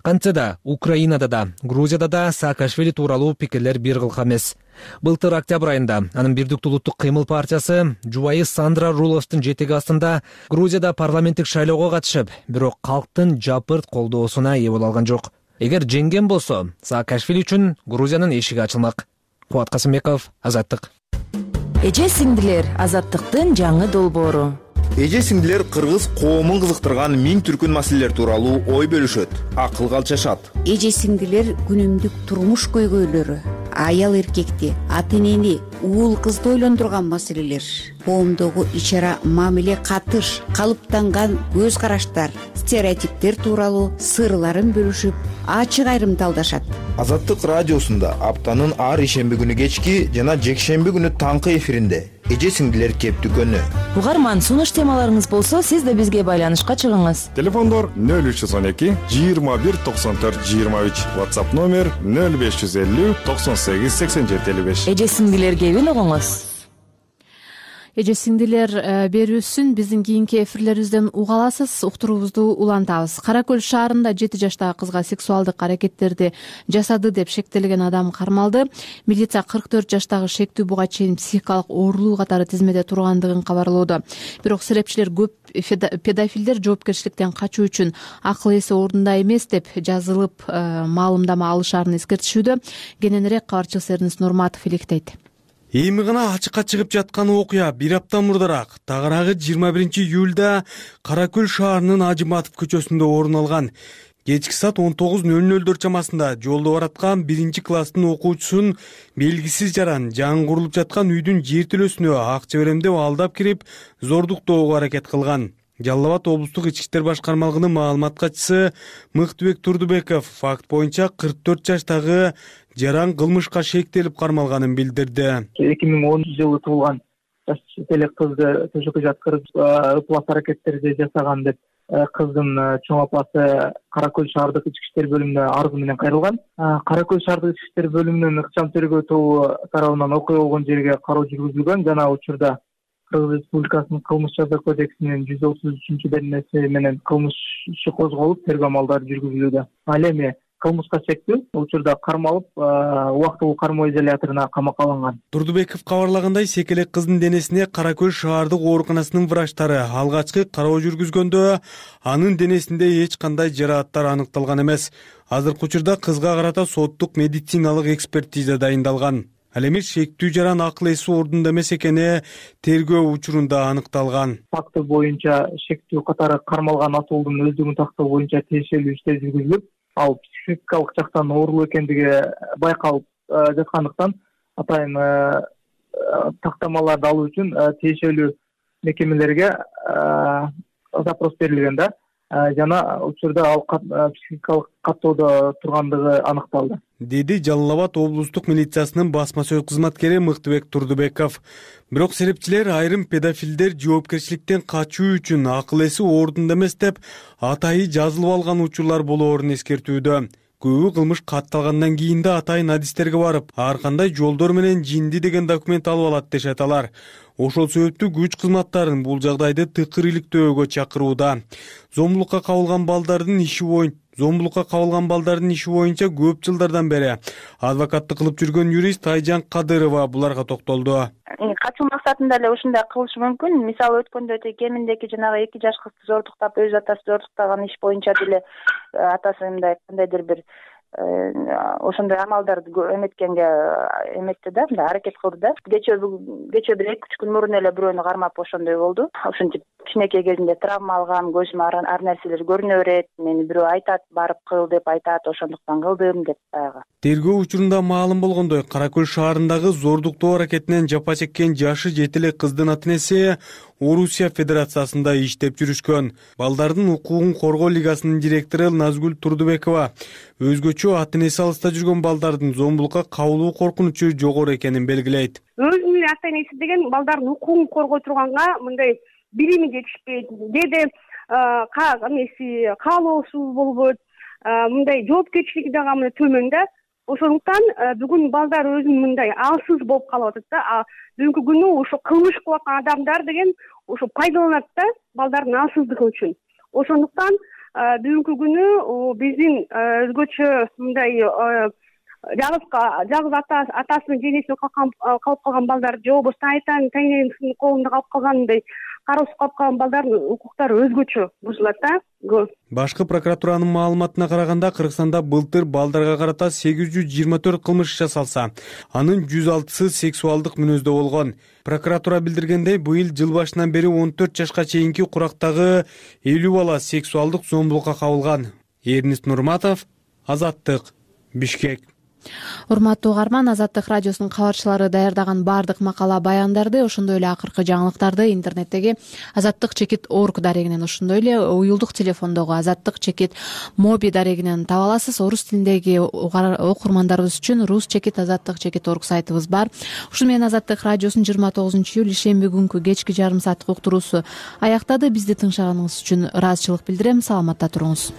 Кантсе да Украинада да, Грузияда да Саакашвили тууралуу пикирлер бир кылка эмес. Былтыр октябрь айында анын Бирдиктүү улуттук кыймыл партиясы жубайы Сандра Руловдун жетеги астында Грузияда парламенттик шайлоого катышып, бирок калктын жапырт колдоосуна ээ боло алган жок. Эгер жеңген болсо, Саакашвили үчүн Грузиянын эшиги ачылмак. Кубат Касымбеков, Азаттык. Эже сиңдилер, Азаттыктын жаңы долбоору. Эже сиңдилер кыргыз коомун кызыктырган миң түркүн маселелер тууралуу ой бөлүшөт, акылга алчашат. Эже сиңдилер күнүмдүк турмуш көйгөйлөрү, аял эркекти, ата энени, уул кызды ойлондурган маселелер, коомдогу ич ара мамиле катыш, калыптанган көз караштар, стереотиптер тууралуу сырларын бөлүшүп, ачык айрымталдашат. Азаттык радиосунда аптанын ар ишемби күнү кечки жана жекшемби күнү таңкы эфиринде эже сиңдилер кептүкөнү. Угарман, сунуш темаларыңыз болсо, сиз да бизге байланышка чыгыңыз. Телефондор 0312 21 94 23, WhatsApp номер 0550 98 87 55. Эже сиңдилер кебин угуңуз. Эже сиңдилер берүүсүн биздин кийинки эфирлерибизден уга аласыз, уктуруубузду улантабыз. Кара Көл шаарында 7 жаштагы кызга сексуалдык аракеттерди жасады деп шектелген адам кармалды. Милиция 44 жаштагы шектүү буга чейин психикалык оорулуу катары тизмеде тургандыгын кабарлоодо. Бирок серепчилер көп педофилдер жоопкерчиликтен качуу үчүн акыл эси ордунда эмес деп жазылып маалымдама алышаарын эскертишүүдө. Кененирээк кабарчы Эрнест Нурматов иликтейт. Эми гана ачыкка чыгып жаткан окуя бир апта мурдараак тагыраагы 21-июлда Кара Көл шаарынын Ажыматов көчөсүндө орун алган. Кечки саат 19:00 чамасында жолдо бараткан 1-класстын окуучусун белгисиз жаран жаңы курулуп жаткан үйдүн жертөлөсүнө акча берем деп алдап кирип, зордуктоого аракет кылган. Жалал Абад облустук ички иштер башкармалыгынын маалымат катчысы Мыктыбек Турдубеков факт боюнча 44 жаштагы жаран кылмышка шектелип кармалганын билдирди. 2010-жылы туулган жаш элек кызды төшөккө жаткырып ыплас аракеттерди жасаган деп кыздын чоң апасы Кара Көл шаардык ички иштер бөлүмүнө арызы менен кайрылган. Кара Көл шаардык ички иштер бөлүмүнүн ыкчам тергөө тобу тарабынан окуя болгон жерге кароо жүргүзүлгөн жана учурда Кыргыз Республикасынын кылмыш жаза кодексинин 133-беренеси менен кылмыш иши козголуп, тергөө амалдары жүргүзүлүүдө. Ал эми кылмышка шектүү учурда кармалып, убактылуу кармоо изоляторуна камакка алынган. Турдубеков кабарлагандай, секелек кыздын денесине Кара Көл шаардык ооруканасынын врачтары алгачкы кароо жүргүзгөндө анын денесинде эч кандай жарааттар аныкталган эмес. Азыркы учурда кызга карата соттук медициналык экспертиза дайындалган. Ал эми шектүү жаран акыл эси ордунда эмес экени тергөө учурунда аныкталган. Факты боюнча шектүү катары кармалган атуулдун өздүгүн тактоо боюнча тиешелүү иштер жүргүзүлүп, ал психикалык жактан оорулуу экендиги байкалып жаткандыктан атайын тактамаларды алуу үчүн тиешелүү мекемелерге запрос берилген да. Жана учурда ал психикалык каттоодо тургандыгы аныкталды, деди Жалал Абад облустук милициясынын басма сөз кызматкери Мыктыбек Турдубеков. Бирок серепчилер айрым педофилдер жоопкерчиликтен качуу үчүн акыл эси ордунда эмес деп атайын жазылып алган учурлар болоорун эскертүүдө. Көбү кылмыш катталгандан кийин да атайын адистерге барып, ар кандай жолдор менен жинди деген документ алып алат дешет алар. Ошол себептүү күч кызматтарын бул жагдайды тыкыр иликтөөгө чакырууда. Зомбулукка кабылган балдардын иши боюнча көп жылдардан бери адвокаттык кылып жүргөн юрист Айжан Кадырова буларга токтолду. Качуу максатында эле ушундай кылышы мүмкүн. Мисалы өткөндө кеминдеги жанагы 2 жаш кызды зордуктап, өз атасы зордуктаган иш боюнча деле атасы мындай кандайдыр бир ошондой амалдарды эметкенге эметти да, мындай аракет кылды да. Кечээ бир 2-3 күн мурун эле бирөөнү кармап ошондой болду. Ушинтип кичинекей кезинде травма алгам, көзүмө ар нерселер көрүнө берет, мени бирөө айтат, барып кыл деп айтат, ошондуктан кылдым деп баягы. Тергөө учурунда маалым болгондой, Кара Көл шаарындагы зордуктоо аракетинен жапа чеккен жашы 7 эле кыздын ата-энеси Орусия Федерациясында иштеп жүрүшкөн. Балдардын укугун коргоо лигасынын директору Назгүл Турдубекова өзгөчө ата-энеси алыста жүргөн балдардын зомбулукка кабылуу коркунучу жогору экенин белгилейт. Өзүнүн ата-энеси деген балдардын укугун коргой турганга мындай билими жетишпейт, деде каалоосу болбойт, мындай жоопкерчилиги дагы мына төмөн да. Ошондуктан бүгүн балдар өзүн мындай алсыз болуп калып атат да. Бүгүнкү күнү ошо кылмыш кылып аткан адамдар деген ошо пайдаланат да балдардын алсыздыгы үчүн. Ошондуктан бүгүнкү күнү биздин өзгөчө мындай жалгыз атасынын денесине калып калган балдар же болбосо таңересинин колунда калып калган мындай кароосуз калып калган балдардын укуктары өзгөчө бузулат да. Башкы прокуратуранын маалыматына караганда, Кыргызстанда былтыр балдарга карата 824 кылмыш жасалса, анын 106сы сексуалдык мүнөздө болгон. Прокуратура билдиргендей, быйыл жыл башынан бери 14 жашка чейинки курактагы 50 бала сексуалдык зомбулукка кабылган. Эрнист Нурматов, Азаттык, Бишкек. Урматтуу угарман, Азаттык радиосунун кабарчылары даярдаган баардык макала баяндарды, ошондой эле акыркы жаңылыктарды интернеттеги azattik.org дарегинен, ошондой эле уюлдук телефондогу azattik.mobi дарегинен таба аласыз. Орус тилиндеги окурмандарыбыз үчүн rus.azattik.org сайтыбыз бар. Ушуну менен Азаттык радиосунун 29-июль ишемби күнкү кечки жарым сааттык уктуруусу аяктады. Бизди тыңшаганыңыз үчүн ыраазычылык билдирем. Саламатта туруңуз.